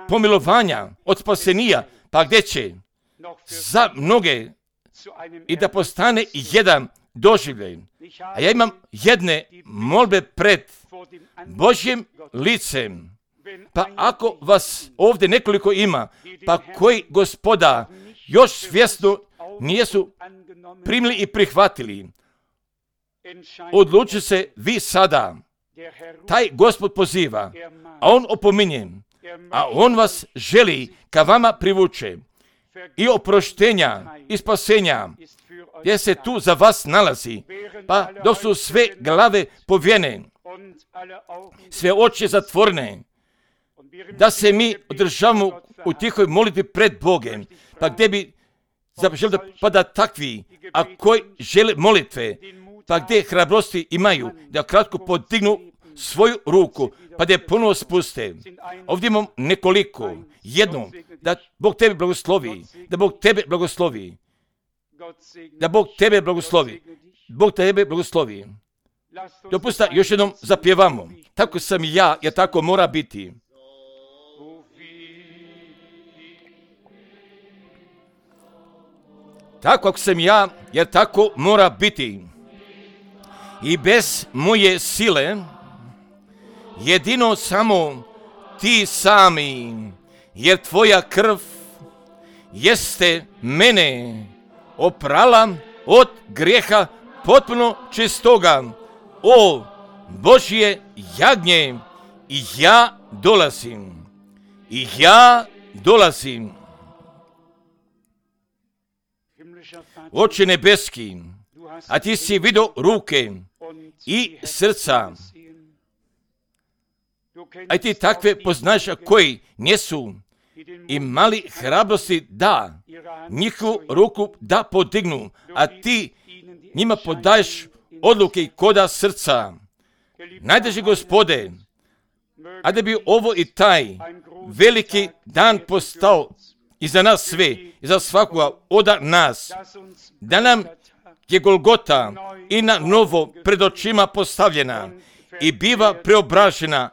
pomilovanja od spasenija, pa gdje će za mnoge i da postane jedan doživljaj. A ja imam jedne molbe pred Božjim licem. Pa ako vas ovdje nekoliko ima, pa koji Gospoda još svjesno nijesu primili i prihvatili odluči se vi sada. Taj Gospod poziva, a On opominje, a On vas želi ka vama privuče. I oproštenja, i spasenja, gdje se tu za vas nalazi, pa dok su sve glave povijene, sve oči zatvorene, da se mi održavamo u tihoj molitvi pred Bogem, pa gdje bi želi da pada takvi, a koji žele molitve, pa gdje hrabrosti imaju, da kratko podignu svoju ruku, pa da je ponovo spuste. Ovdje imam nekoliko, jedno, da Bog tebe blagoslovi, da Bog tebe blagoslovi, da Bog tebe blagoslovi, Bog tebe blagoslovi. Dopusta, još jednom zapjevamo. Tako sam ja, jer tako mora biti. Tako ako sam ja, jer tako mora biti. I bez moje sile, jedino samo ti sami, jer tvoja krv jeste mene oprala od grijeha potpuno čistoga. O Božje jagnje, i ja dolazim, i ja dolazim. Oče nebeski, a ti si vidio ruke i srca, a ti takve poznaš koji nisu imali hrabrosti da njihovu ruku da podignu, a ti njima podaješ odluke koda srca. Najdraži Gospode, a da bi ovo i taj veliki dan postao i za nas sve, i za svakoga od nas, da nam je Golgota i na novo pred očima postavljena i biva preobražena,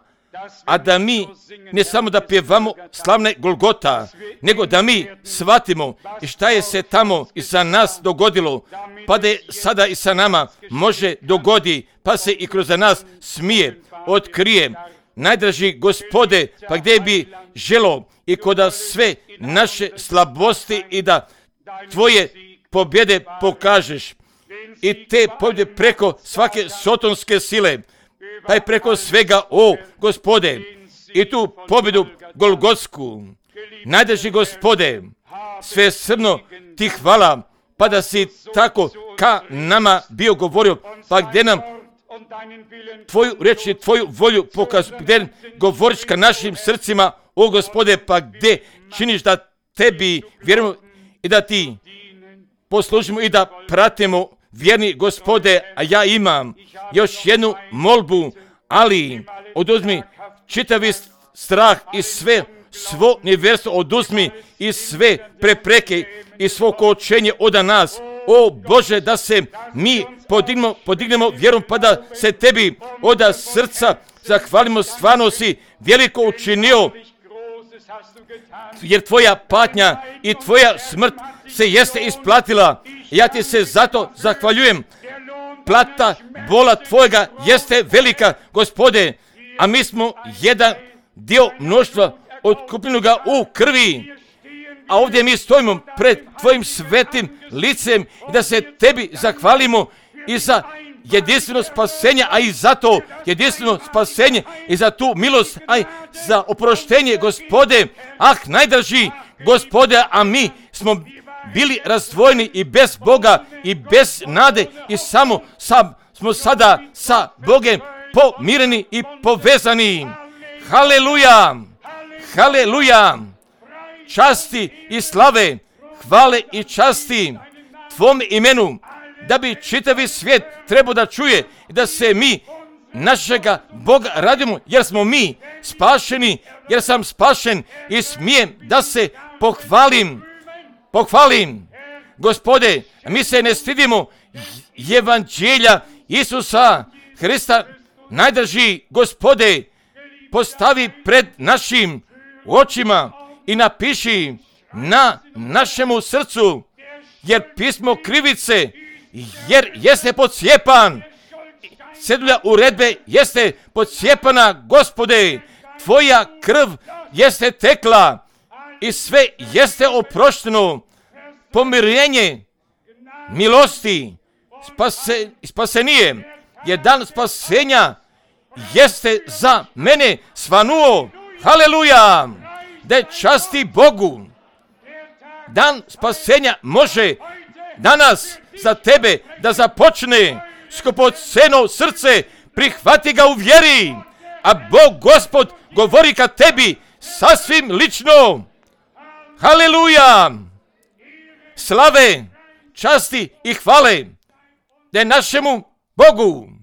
a da mi ne samo da pjevamo slavne Golgota, nego da mi shvatimo i šta je se tamo i za nas dogodilo, pa da je sada i sa nama može dogodi, pa se i kroz nas smije, otkrije. Najdraži Gospode, pa gdje bi želo i koda sve naše slabosti i da tvoje pobjede pokažeš i te pobjede preko svake sotonske sile, pa i preko svega, o Gospode, i tu pobjedu Golgotsku. Najdraži Gospode, sve srno ti hvala, pa da si tako ka nama bio govorio, pa gdje nam tvoju reč i tvoju volju pokaz, gdje govoriš ka našim srcima, o Gospode, pa gdje činiš da tebi vjerujemo i da ti poslužimo i da pratimo, vjerni Gospode, a ja imam još jednu molbu, ali oduzmi čitavi strah i sve svo nevjerstvo, oduzmi i sve prepreke i svo kočenje od nas. O Bože, da se mi podignemo, podignemo vjerom, pa da se tebi od srca zahvalimo, stvarno si veliko učinio, jer tvoja patnja i tvoja smrt se jeste isplatila. Ja ti se zato zahvaljujem. Plata bola tvojega jeste velika, Gospode, a mi smo jedan dio mnoštva otkupljenoga u krvi. A ovdje mi stojimo pred tvojim svetim licem i da se tebi zahvalimo i za jedinstveno spasenje, a i za to jedinstveno spasenje i za tu milost, a i za oproštenje, Gospode. Ah, najdraži Gospode, a mi smo bili razdvojeni i bez Boga i bez nade i samo sa, smo sada sa Bogem pomireni i povezani. Haleluja! Haleluja! Časti i slave, hvale i časti tvom imenu, da bi čitavi svijet trebao da čuje i da se mi našega Boga radimo, jer smo mi spašeni, jer sam spašen i smijem da se pohvalim. Pohvalim, Gospode, mi se ne stidimo evanđelja Isusa Hrista. Najdraži Gospode, postavi pred našim očima i napiši na našemu srcu, jer pismo krivice, jer jeste podcijepan, cedulja uredbe jeste podcijepana, Gospode, tvoja krv jeste tekla i sve jeste oprošteno, pomirenje, milosti, spase, spasenije, je dan spasenja, jeste za mene svanuo. Haleluja! Da časti Bogu. Dan spasenja može danas za tebe da započne. Skupoceno srce, prihvati ga u vjeri, a Bog Gospod govori ka tebi sasvim lično. Haleluja! Slave, časti i hvale da je našemu Bogu.